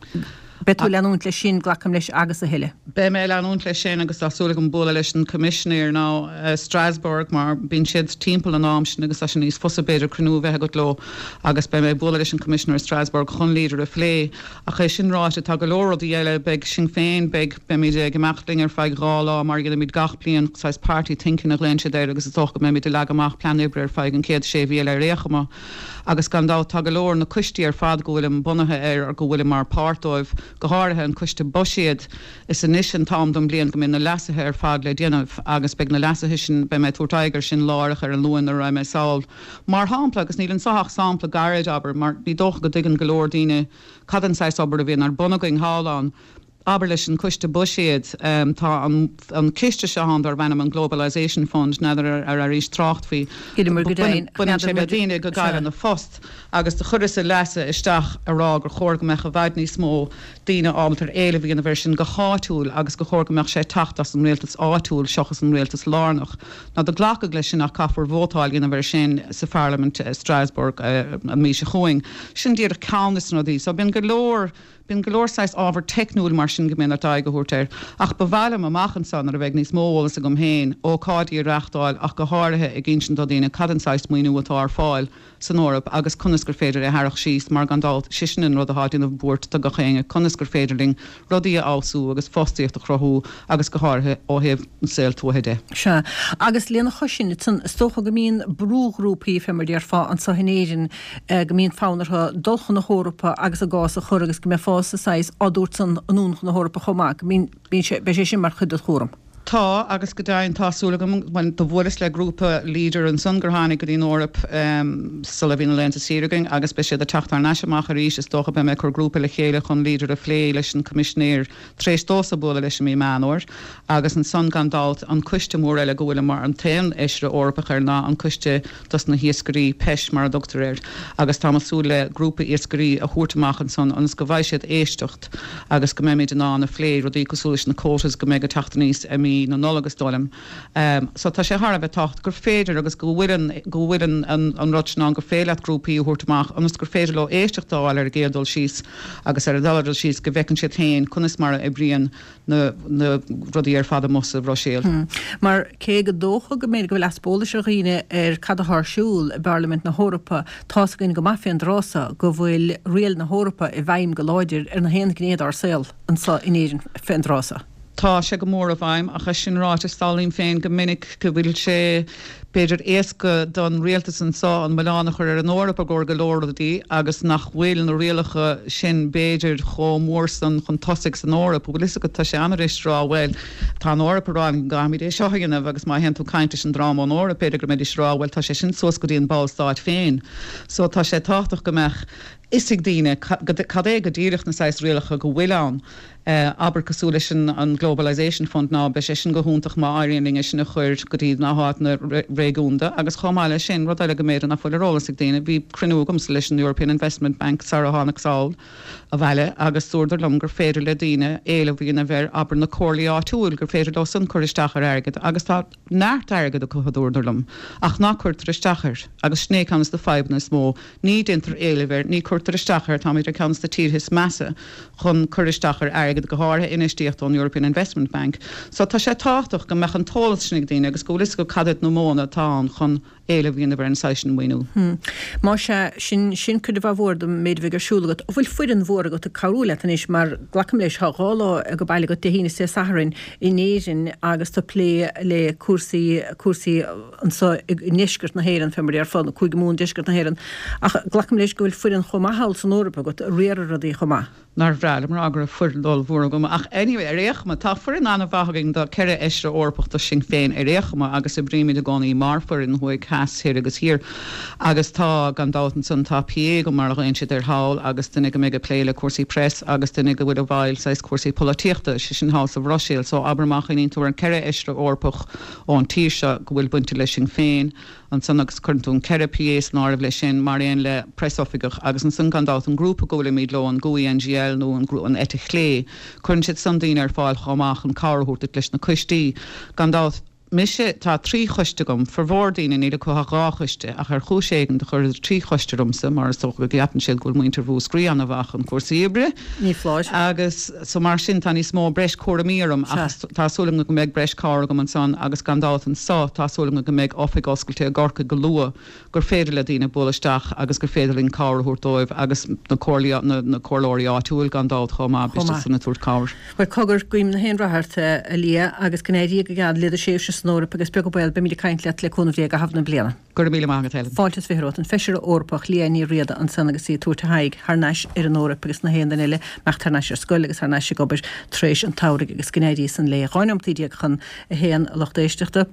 A: Beidh tú ag leanúint leis sin, glacaim leis, agus a thuilleadh.
E: Beidh mé ag leanúint leis sin agus tá súil agam bualadh leis an Coimisinéir now i Strasbourg mar bíonn siad timpeall an am sin agus tá sé níos fusa b'fhéidir cruinniú a bheith agat leo agus beidh mé ag bualadh leis an Coimisinéir i Strasbourg chun Leader a phlé. Ach é sin ráite tá go leor rudaí eile, beidh Sinn Féin, beidh, beimid ag imeacht linn ar feadh 2 lá mar a dhéanaimid gach bliain, saghas party thinking a ghlaonn siad air agus is dócha go mbeimid ag leagadh amach plean oibre ar feadh an chéad sé mhí eile ar aon chuma. Agus gan dabht tá go leor, na coistí ar fad go bhfuilim bunaithe air, go bhfuilim mar páirt dóibh, go háirithe an coiste buiséad, is anois an t-am don bhliain go mbíonn na leasuithe ar fad le déanamh agus beidh na leasuithe sin, beidh mé ag tabhairt aghaidh ar sin láithreach ar an Luan nuair a raghaidh mé sall. Mar shampla, agus níl anso ach sampla gairid, abair, mar ní dócha go dtuigeann go leor daoine cad an saghas obair a bhíonn ar bun againn thall ann, Abair leis an Coiste Buiséid, tá an ciste seo ann darb ainm an Globalisation Fund, n'fheadar ar airís trácht faoi. Baineann sé le daoine go gcailleann a phost agus do chuireas-sa leasú isteach a rá gur chóir go mbeadh i bhfad níos mó daoine ábalta ar éileamh a dhéanamh air sin go háitiúil agus gur chóir go mbeadh sé ag teacht as an rialtas áitiúil seochas an rialtas lárnach. Now do glacadh leis sin ach caithfear vótáil a dhéanamh air sin sa Pharlaimint i Strasbourg an mhí seo chugainn. Sin díreach ceann des na rudaí. So bíonn go leor. Bíonn go leor saghas ábhar teicniúil mar sin go mbíonn ort aghaidh a thabhairt air, ach ba mhaith liom amach anseo nuair a bheidh níos mó eolas agam féin, ócáidí a reachtáil ach go háirithe ag insint do dhaoine cad an saghas maoiniú atá ar fáil san Eoraip agus conas gur féidir é a tharrac síos mar gan dabht sé sin an rud atá ag déanamh buairt do gach éinne, conas gur féidir linn rudaí a fheabhsú agus fostaíocht a chruthú agus go háirithe ó thaobh an saol tuaithe de.
A: Sea, agus lena chois sin, is dócha go mbíonn brúghrúpaí, fé mar a déarfá, anseo in Éirinn, go mbíonn fonn orthu dul chun na hEorpa agus a gcás a chur agus go mbeifeása saghas á dtabhairt san anonn chun na hEorpa chomh maith, go mbíonn, bíonn sé, beidh sé sin mar chuid de do chúram.
E: Tá, agus go deimhin tá súil agam, bhuel, do bhuaileas le grúpa Leader ansan gur tháinig go dtí an Eoraip sula bhí na laethanta saoire againn agus beidh siad ag teacht thar n-ais amach arís, is dócha, beidh mé ag cur grúpa le chéile chun Leader a phlé leis an Coimisinéir tar éis domhsa bualadh leis i mí Meán Fhómhair. Agus ansan gan dabht an coiste mór eile go bhfuilim mar an t-aon fheisire Eorpach air ná an coiste dos na hiascairí, PESH mar a dtugtar air, agus táim ag súil le grúpa iascairí a thabhairt amach ansan ionas go bhfaighidh siad éisteacht agus go mbeimid in ann a phlé rudaí cosúil leis na quotas go mbeidh ag teacht aníos i mí. mí na Nollag is dóigh liom. So tá sé thar a bheith tábhachtach gur féidir agus go bhfuil an, go bhfuil an, an, an rud sin ann gur féidir leat grúpaí a thabhairt amach ionas gur féidir leo éisteacht a fháil ar an gcéad dul síos agus ar an dara dul síos go bhfeiceann siad féin conas mar a oibríonn na, na rudaí ar fad amuigh sa Bhruiséil.
A: Mar cé gur dócha go mb'fhéidir go bhfuil easpa eolais ar dhaoine ar cad atá ar siúl i bParlaimint na hEorpa, tá's againn go maith fén dtráth so go bhfuil riail na hEorpa i bhfeidhm go láidir ar na haon ghné dár saol anso in Éirinn fén dtráth so.
E: Tá sé go mór i bhfeidhm, ach é sin ráite, samhlaím féin go minic go bhfuil sé, b'fhéidir, éasca don rialtas anso an milleán a chur ar an Eoraip i gcomhair go leor rudaí agus nach bhfuil na rialacha sin, b'fhéidir, chomh mór san chun tosaigh san Eoraip. Bhfuil fhios agat, tá sé an-fhuirist a rá, bhuel, tá an Eoraip ag rá go gcaithfimid é seo a dhéanamh agus má théann tú ag caint leis an dream ón Eoraip, b'fhéidir go mbeidís ag rá, bhuel, tá sé sin suas go dtí an ballstát féin. So tá sé tábhachtach go mbeadh fhios ag daoine cad é go díreach na saghas rialacha go bhfuil ann. Abair cosúil leis an Globalisation Fund ná beidh sé sin go hiontach má éiríonn linn é sin a chur go dtí na háiteanna réigiúnda agus chomh maith leis sin, rud eile go mb'fhéidir nach bhfuil ar eolas ag daoine, bhí cruinniú agamsa leis an European Investment Bank sara tháinig sall abhaile agus dúradar liom gur féidir le daoine éileamh a dhéanamh ar, abair, na comhairlí áitiúil, gur féidir leo san cur isteach ar airgead agus tá neart airgid acu a dúradar liom ach ná cuirtear isteach air agus sin é ceann de na fadhbanna is mó Ní déantar éileamh air, ní cuirtear isteach air, táimid ar ceann de na tíortha is measa chun cur isteach ar airgead, go háirithe infheistíocht ón European Investment Bank. So tá sé tábhachtach go mbeadh an t-eolas sin ag daoine agus go bhfuil fhios acu cad iad na modhanna atá ann chun éileamh a dhéanamh ar an saghas sin maoiniú.
A: Más ea, sin, sin cuid mhaith mhór den méid a bheidh ar siúl agat. An bhfuil foireann mhór agat ag cabhrú leat anois mar glacaim leis, tá 2 lá ag baile agat, Dé hAoine is Dé Sathairn in Éirinn agus tú ag plé le cúrsaí, cúrsaí, anseo i ndeisceart na hÉireann, fé mar a déarfá, nó Cúige Mumhan, deisceart na hÉireann. Ach glacaim leis go bhfuil foireann chomh maith thall san Eoraip agat a riarfaidh rudaí chomh maith.
E: Nár bhreá liom rá go raibh foireann ollmhór agam, ach anyway, ar aon chuma, tá foireann an-mhaith againn do 4 fheisire Eorpach do Sinn Féin ar aon chuma agus oibrímid i gcónaí mar foireann, thuaidh, theas, thoir agus thiar. Agus tá, gan dabht ansan, tá PA agam mar a ghlaonn siad air thall agus duine go mbeidh ag plé le cúrsaí press agus duine go bhfuil i bhfeighil saghas cúrsaí polaitíochta, sé sin thall sa Bhruiséil. So abair má chuimhníonn tú ar an 4 fheisire Eorpach, ón tír seo go bhfuil bainte le Sinn Féin ansan agus cuireann tú an 4 PA san áireamh leis sin mar aon le preasoifigeach agus ansan gan dabht an grúpa go bhfuilimid leo, an GUE NGL nó an an eite chlé, cuireann siad san daoine ar fáil chomh maith chun cabhair a thabhairt duit leis na coistí. Gan dabht, mise, tá trí choiste agam, formhór daoine níl acu ach dhá choiste ach ar chúis éigin do chuireadar trí choiste ormsa mar is dócha go gceapann siad go bhfuil muintir Mhúscraí ana-mhaith chun cúrsaí oibre.
A: Ní foláir.
E: Agus so mar sin tá níos mó breis cúraimí orm ach tá súil agam go mbeidh breis cabhair agam ansan agus gan dabht anso tá súil agam go mbeidh oifig oscailte i gCorcaigh go luath gur féidir le daoine bualadh isteach agus gur féidir linn cabhair a thabhairt dóibh agus na comhairlí, na comhairleoirí áitiúil gan dabht chomh maith, beidh siad san ag tabhairt cabhair.
A: Bhuel cogar, guím na haon rath ort, a Liadh, agus go n-éirí go geal le do thréimhse san Eoraip agus beag an baol beimid ag caint leat le cúnamh Dé i gcaitheamh na bliana.
E: Go raibh míle maith agat, Helen.
A: Fáilte is 20 romhat. An Feisire Eorpach Liadh Ní Riada ansan agus í ag tabhairt a haghaidh thar n-ais ar an Eoraip agus na haon duine eile imeacht thar n-ais ar scoil agus thar n-ais ag obair tar éis an tsamhraidh agus go n-éirí san léi. 12 neomataí chun a haon a lucht éisteachta.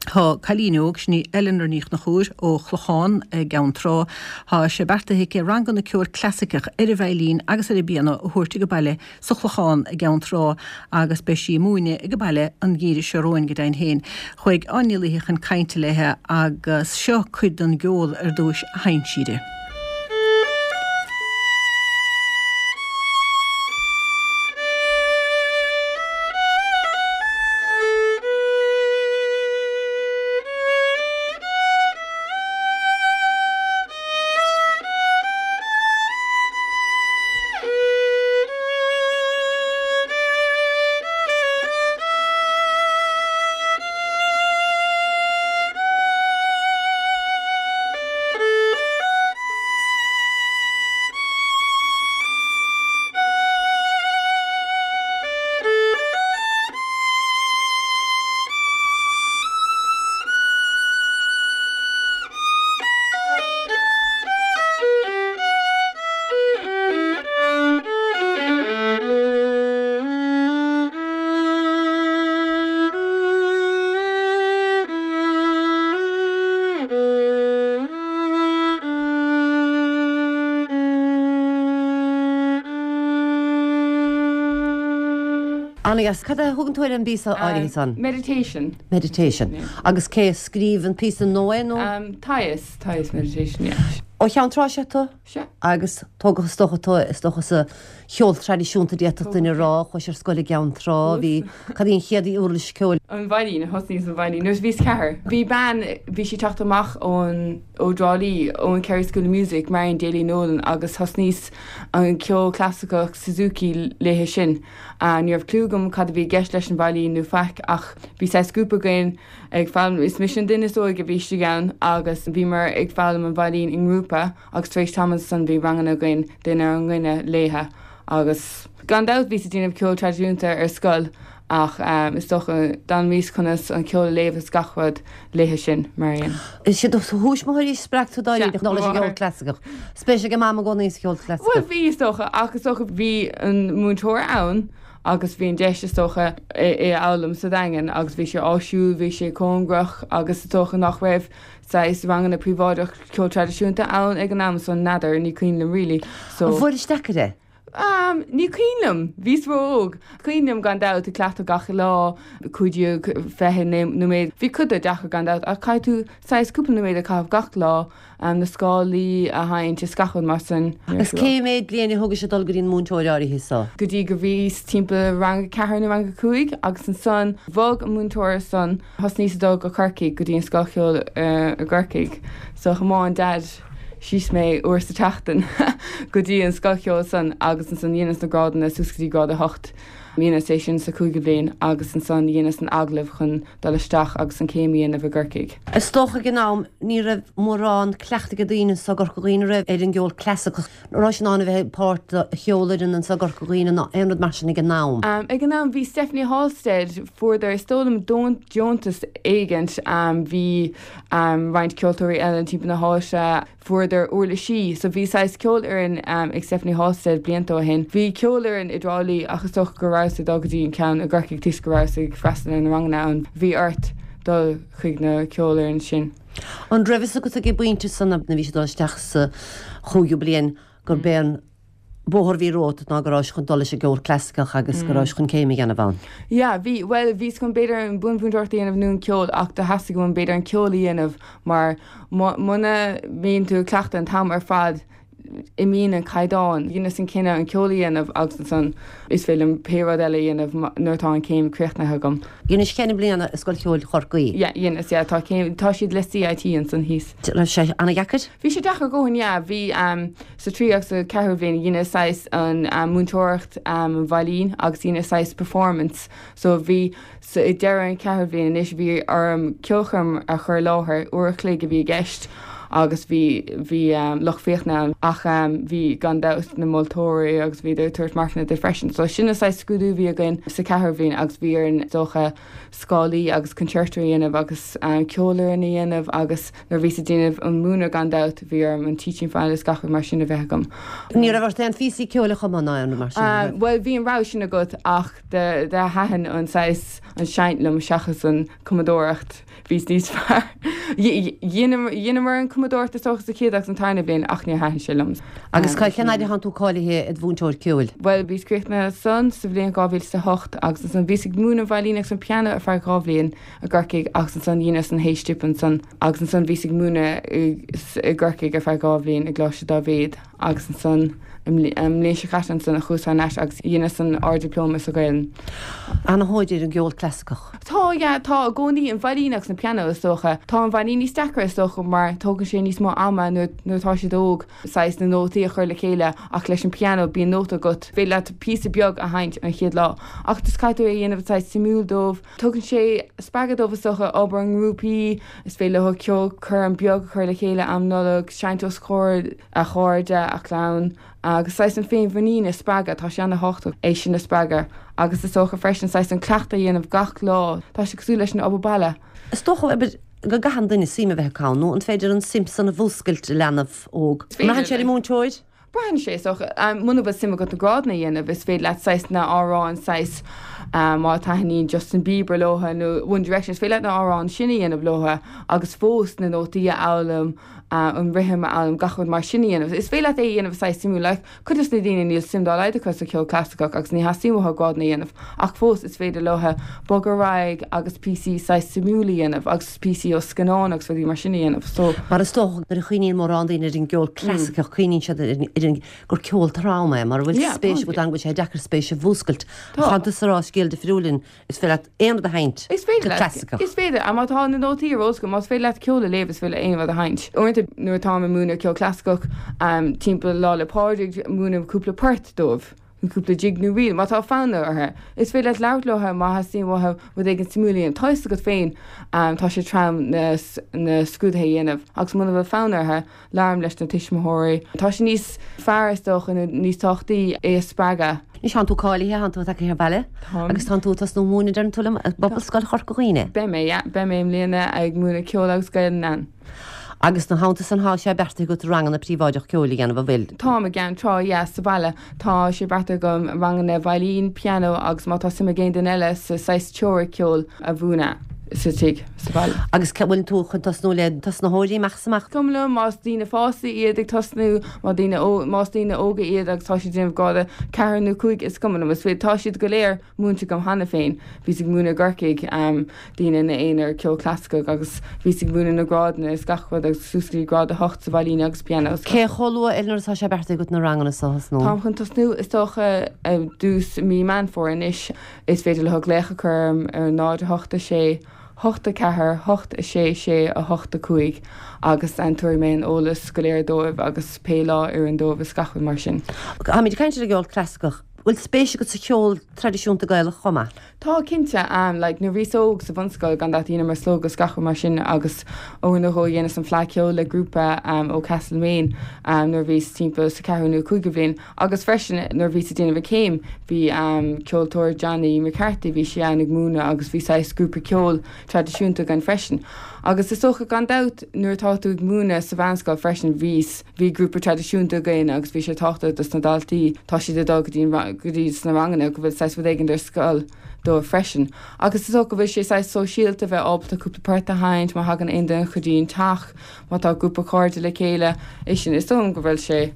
A: Tá cailín óg, sin í Eleanor Ní Chonchúir ó Chlochán i gCeann Trá. Tá sé beartaithe aici ranganna ceoil clasaiceach ar an veidhlín agus ar an bpianó a thabhairt ag an baile sa Chlochán i gCeann Trá agus beidh sí ag múineadh ag an baile an geimhreadh seo romhainn go deimhin féin. Chuaigh Áine Ní Laoithe chun cainte léithe agus seo cuid den gceol ar dtúis a sheinn sí di.
F: Ana-dheas. Cad é a thugann tú ar an bpíosa áirithe san?
G: Meditation.
F: Meditation. Agus cé a scríobh an píosa nó é nó?
G: Thais, Thais Meditation, yeah.
F: Ó Cheann Trá is ea tú?
G: Sea.
F: Agus tógadh is dócha tú, is dócha sa cheol traidisiúnta d'fhéadfadh duine a rá, chuais ar scoil i gCeann Trá, bhí, cad í an chéad uirlis ceoil?
G: An veidhlín, thosnaíos an veidhlín nuair a bhíos ceathair. Bhí bean, bhí sí ag teacht amach ón, ó dTrá Lí, ón Kerry School of Music, Marion Daly Nolan agus thosnaíos an ceol clasaiceach Suzuki léithe sin. Ní raibh cliú agam cad a bhí i gceist leis an veidhlín nó faic ach bhí saghas grúpa againn, ag foghlaim, is mise an duine is óige a bhí istigh ann agus bhíomar ag foghlaim an veidhlín i ngrúpa agus tar éis tamaill ansan bhí ranganna againn duine ar dhuine léithe agus gan dabht bhíos ag déanamh ceol traidisiúnta ar scoil ach is dócha d'fhoghlaimíos conas an ceol a léamh is gach rud léithe sin, Marion.
F: Is iad do thuismitheoirí a spreag tú dáiríre chun dul leis an gceol clasaiceach. Spéis ag Mam i gcónaí sa cheol clasaiceach?
G: Bhuel bhí is dócha ach is dócha bhí an múinteoir ann agus bhí an deis, is dócha, é a fhoghlaim sa Daingean agus bhí sé áisiúil, bhí sé cóngarach agus is dócha nach raibh saghas ranganna príobháideach ceol traidisiúnta ann ag an am so n'fheadar, ní cuimhin liom really.
F: So. An bhfuairis deacair é?
G: Um, ní cuimhin liom, bhíos ró-óg. Cuimhin liom gan dabht ag cleachtadh gach lá, 15, 20 nóiméad. Bhí cuid de deacair gan dabht ach caithfidh tú saghas cúpla nóiméad a chaitheamh gach lá na scálaí a sheinnt is gach rud mar
F: sin. Agus cé mhéad bliain a thóg sé dul go dtí an múinteoir áirithe
G: so? Go dtí go bhíos timpeall rang a ceathair nó rang a cúig agus ansan bhog an múinteoir san, thosnaíos ag dul go Corcaigh go dtí an scoil cheoil i gCorcaigh. So thiomáin Dad síos mé uair sa tseachtain go dtí an scoil cheoil san agus ansan dheineas na grádanna suas go dtí grád a hocht. Dheineas é sin sa cúigiú bliain agus ansan dheineas an agallamh chun dul isteach agus an céim a dhéanamh i gCorcaigh.
F: Is dócha ag an am ní raibh mórán cleachtaidh ag daoine anso i gCorca Dhuibhne an raibh ar an gceol clasaiceach. An raibh in ann a bheith páirt de cheolfhoireann anso i gCorca Dhuibhne ná aon rud mar sin ag an am.
G: Ag an am bhí Stephanie Halstead, fuaireadar is dóigh liom deontas éigint, bhí roinnt ceoltóirí eile timpeall na háite, Fuaireadar uirlisí, so bhí saghas ceolfhoireann ag Stephanie Halstead blianta ó shin. Bhí ceolfhoireann i dTrá Lí ach is dócha go rabhas ag dul go dtí an ceann i gCorcaigh toisc go rabhas ag freastal ar na ranganna ann. Bhí ort dul chuig na ceolfhoireann sin.
F: An raibh fhios agat ag an bpointe san nuair a bhís ag dul isteach sa chúigiú bliain gurb é an bóthar a bhí romhat ná go rabhais chun dul leis an gceol clasaiceach agus go rabhais chun céim a dhéanamh ann.
G: Yeah, bhí, bhuel, bhíos chun b'fhéidir an buanmhúinteoireacht a dhéanamh nó an ceol ach do theastaigh uaim b'fhéidir an ceol a dhéanamh mar muna mbíonn tú ag cleachtadh an t-am ar fad imíonn an caighdeán. Dheineas an cinneadh an ceol a dhéanamh agus ansan is féidir liom pé rud eile a dhéanamh nuair atá an céim críochnaithe agam.
F: Dheinis ceithre bliana i Scoil Cheoil Chorcaí.
G: Yeah, dheineas, yeah, tá céim, tá siad le CIT ansan thíos.
F: Raibh sé ana-dheacair?
G: Bhí sé deacair a dhóthain, yeah, bhí, Sa tríú agus sa cheathrú bhliain dheineas saghas an múinteoireacht an veidhlín agus dheineas saghas performance so bhí sa ag deireadh an cheathrú bhliain anois bhí orm ceolchoirm a chur i láthair, uair a chloig a bhí i gceist agus bhí bhí lucht féachana ann ach bhí gan dabht na moltóirí agus bhíodar ag tabhairt marcanna duit freisin so sin an saghas scrúdú a bhí againn sa cheathrú bhliain agus bhí orainn is dócha scálaí agus concerto a dhéanamh agus ceolfhoireann a dhéanamh agus nuair a bhíos ag déanamh an múineadh gan dabht bhí orm an teaching file is gach rud mar sin a bheith agam.
F: Ní raibh ort aon phíosaí ceoil a chumadh ná aon rud mar sin, an
G: raibh? Bhuel bhí an rogha sin agat ach do thaitin an saghas an seinnt liom seachas an cumadóireacht. Bhíos níos fearr. Dheineamar an cumadóireacht is dócha sa chéad agus an tarna bhliain ach níor thaitin sé liom.
F: Agus cén fhaid a thánn tú cáilithe id mhúinteoir ceoil?
G: Bhuel bhíos críochnaithe ansan sa bhliain 2008 agus ansan bhíos ag múineadh an veidhlín agus an pianó ar feadh 2 bhliain i gCorcaigh agus ansan dheineas an H-Dip ansan agus ansan bhíos ag múineadh i gCorcaigh ar feadh 2 bhliain i gColáiste Dáibhéid agus ansan an mbliain seo caite ansan a chuas thar n-ais agus dheineas an Ard-Dioplóma sa Ghaelainn.
F: Ana-thóir ar an gceol clasaiceach.
G: Tá, yeah, tá i gcónaí, an veidhlín agus an pianó is dócha. Tá an veidhlín níos deacra is dócha mar tógann sé níos mó ama nuair nuair atá siad óg saghas na nótaí a chur le chéile ach leis an pianó bíonn nóta agat, féidir leat píosa beag a sheinnt an chéad lá ach just caithfidh tú é a dhéanamh saghas suimiúil dóibh. Tugann sé spreagadh dóibh is dócha obair i ngrúpaí, is féidir leo ceolchoirm beag a chur le chéile am Nollag, seinnt os comhair a chairde, a chlann agus saghas an féinmhuinín a spreagadh, tá sé ana-thábhachtach é sin a spreagadh agus is dócha freisin saghas an cleachtadh a dhéanamh gach lá, tá sé cosúil leis an obair baile.
F: Is dócha, abair, go gcaitheann duine suim a bheith acu ann, nó an féidir an suim san a mhúscailt i leanbh óg? An mbraitheann sé ar an múinteoir?
G: Braitheann sé, is dócha. Muna bhfuil suim agat na grádanna a dhéanamh, is féidir leat saghas na amhráin, saghas má taitníonn Justin Bieber leo nó One Direction, is féidir leat na amhráin sin a dhéanamh leo agus fós na nótaí a fhoghlaim. An rithim a fhoghlaim, gach rud mar sin a dhéanamh. Is féidir leat é a dhéanamh saghas suimiúil. Like, cuid dos na daoine níl suim dá laghad acu sa cheol clasaiceach agus ní theastaíonn uathu grádanna a dhéanamh ach fós is féidir leo bogadh ar aghaidh agus píosaí saghas suimiúil a dhéanamh agus píosaí ó scannáin agus rudaí mar sin a dhéanamh. So.
F: Mar is dócha nuair a chuimhníonn mórán daoine ar an gceol clasaiceach cuimhníonn siad ar an gur ceol trom é mar a bhfuil spéis agat ann go bhfuil sé deacair spéis a mhúscailt. Ach tánn tusa ag rá scéal difriúil linn. Is féidir leat aon rud a sheinnt
G: Is féidir
F: go
G: leat.
F: clasaiceach.
G: Is féidir. Má tá na nótaí ar eolas agat, más féidir leat ceol a léamh, is féidir leat aon rud a sheinnt. Uaireanta nuair atáim ag múineadh ceol clasaiceach timpeall Lá 'le Pádraig, múinim cúpla port dóibh, cúpla jig nó ríl, má tá fonn orthu. Is féidir leat labhairt leo má theastaíonn uathu rud éigin suimiúil a dhéanamh. Tá fhios agat féin, tá sé trom na scrúduithe a dhéanamh agus muna bhfuil fonn orthu, Labhraím leis na tuismitheoirí. Tá sé níos fearr, is dócha, nó níos tábhachtaí é a spreagadh.
F: Anois tánn tú cáilithe, tánn tú tagtha abhaile
G: Táim.
F: agus tánn tú ag tosnú múineadh deireann tú liom i bPobalscoil Chorca Dhuibhne.
G: Beidh mé, yeah. Beidh mé i mbliana ag múineadh ceoil agus Gaelainn ann.
F: Agus ina theannta san thá sé beartaithe agat ranganna príobháideach ceoil a dhéanamh, an bhfuil?
G: Táim i gCeann Trá, yeah, sa bhaile. Tá sé beartaithe agam ranganna veidhlín, pianó agus má tá suim ag aon duine eile sa saghas teoiric ceoil a mhúineadh sa tigh, sa bhaile.
F: Agus an bhfuil tú chun tosnú le tosnaitheoirí amach is amach?
G: Cuma liom más daoine fásta iad ag tosnú, má daoine más daoine óga iad agus tá siad ag déanamh grád 4 nó 5, is cuma liom. Is féidir, tá siad go léir múinte agam cheana féin. Bhíos ag múineadh i gCorcaigh daoine ina aonar ceol clasaiceach agus bhíos ag múineadh na grádanna is gach rud agus suas go dtí grád 8 sa veidhlín agus pianó.
F: Cé chomh luath Eleanor atá sé beartaithe agat na ranganna seo a thosnú?
G: Táim chun tosnú is dócha i dtús mí Meán Fómhair anois. Is féidir leo glaoch a chur orm ar 0 8 6 8 4 8 6 6 8 5 agus tabharfaidh mé an eolas go léir dóibh agus pé lá a oireann dóibh is gach rud mar sin.
F: Táimid ag caint ar an gceol clasaiceach. Bhfuil spéis agat sa cheol traidisiúnta Gaelach chomh maith?
G: Tá, cinnte. Like, nuair a bhíos óg sa bhunscoil, gan dabht dheineamar slógadh is gach rud mar sin agus uair nó dhó dheineas an Fleadh Ceoil le grúpa ó Castlemaine nuair a bhíos timpeall sa ceathrú nó cúigiú bhliain. Agus freisin nuair a bhíos ag déanamh an chéim bhí ceoltóir Johnny McCarthy, bhí sé ann ag múineadh agus bhí saghas grúpa ceoil traidisiúnta againn freisin. Agus is dócha gan dabht nuair atá tú ag múineadh sa mheánscoil freisin bhíos, Bhí grúpa traidisiúnta againn agus bhí sé tábhachtach dos na daltaí, tá siad ag dul go dtí an, go dtí sna ranganna, go bhfuil saghas rud éigin ar scoil dóibh freisin. Agus is dócha go bhfuil sé saghas sóisialta bheith ábalta cúpla port a sheinnt má thagann aon duine go dtí an teach, má tá grúpa cairde le chéile, é sin, is dóigh liom go bhfuil sé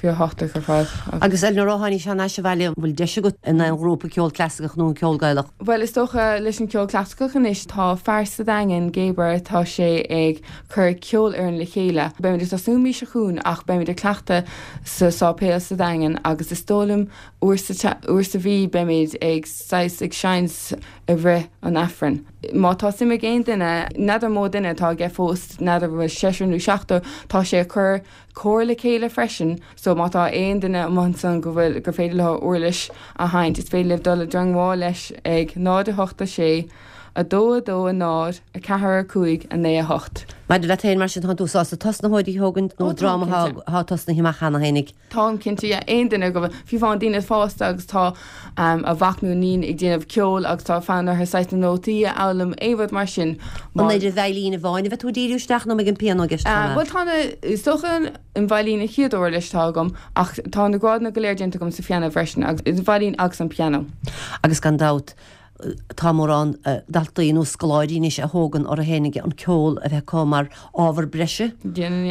G: fíor thábhachtach ar fad.
F: Agus Eleanor, ó tháinís thar n-ais abhaile, an bhfuil deis agat in aon ghrúpa ceol clasaiceach nó an ceol Gaelach?
G: Bhuel, is dócha leis an cheol clasaiceach anois, tá fear sa Daingean, Gaber, tá sé ag cur ceolfhoireann le chéile. Beimid ag tosnú an mhí seo chugainn ach beimid ag cleachtadh sa sáipéal sa Daingean agus is dóigh liom uair sa uair sa mhí beimid ag saghas ag seinnt i rith an Aifrinn. Má tá suim ag aon duine, n'fheadar mó duine atá aige fós, n'fheadar an bhfuil seisear nó seachtar, tá sé ag cur cór le chéile freisin so má tá aon duine amuigh ansan go bhfuil gur féidir leo uirlis a sheinnt is féidir libh dul i dteangmháil leis ag 0 8 6 2 2 0 4 5 9 8.
F: Maidir leat féin, mar sin, tánn tú sásta tosnaitheoirí a thógaint nó
G: Ó, táim
F: dream atá
G: cinnte.
F: atá tosnaithe amach cheana fhéinig?
G: Táim cinnte, yeah. Aon duine go bhfuil, fiú amháin daoine fásta agus tá a mhac nó iníon ag déanamh ceoil agus tá fonn orthu saghas na nótaí a fhoghlaim, aon rud mar sin.
F: An ar an veidhlín amháin a bheidh tú ag díriú isteach nó an mbeidh an pianó i gceist chomh maith?
G: Bhuel, tá na, is dócha an veidhlín an chéad uirlis atá agam ach tá na grádanna go léir déanta agam sa phianó freisin agus an veidhlín agus an pianó.
F: Agus gan dabht, Tá mórán daltaí nó scoláirí anois a thógann orthu fhéinig an ceol a bheith acu mar ábhar breise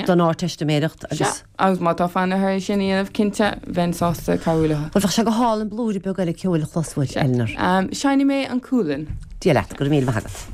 F: don Ardteistiméireacht
G: agus. Sea, agus má tá fonn orthu é sin a dhéanamh, cinnte, bheinn sásta cabhrú leo.
F: Bhuel, bheadh sé go hálainn blúire beag eile ceoil a chlos uait, Eleanor.
G: Seinnfidh mé an Cualann.
F: Dia leat, go raibh míle maith agat.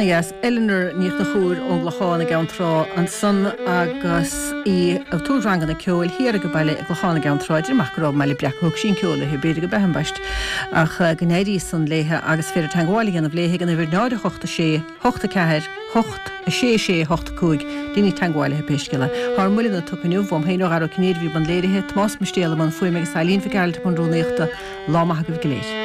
A: Ana-dheas. Eleanor Ní Chonchúir ón gClochán i gCeann Trá ansan agus í ag tabhairt ranganna ceoil thiar ag a baile i gClochán i gCeann Trá. Deirim ach go raibh i mBaile Breac a thug sí an ceol léi, b'fhéidir go b'ea ambaist, ach go n-éirí san léithe agus is féidir teangmháil a dhéanamh léi ag an uimhir 0 8 6 8 4 8 6 6 8 5. Déanaigí teangmháil léi pé scéal é. Tá ár mbuileanna tugtha inniu, uaim féin ó Dhara Ó Cinnéide a bhí i mbun léirithe, Tomás Mistéal i mbun fuaime agus Eileen Mhic Gearailt i mbun rúnaíochta. Lá maith agaibh go léir.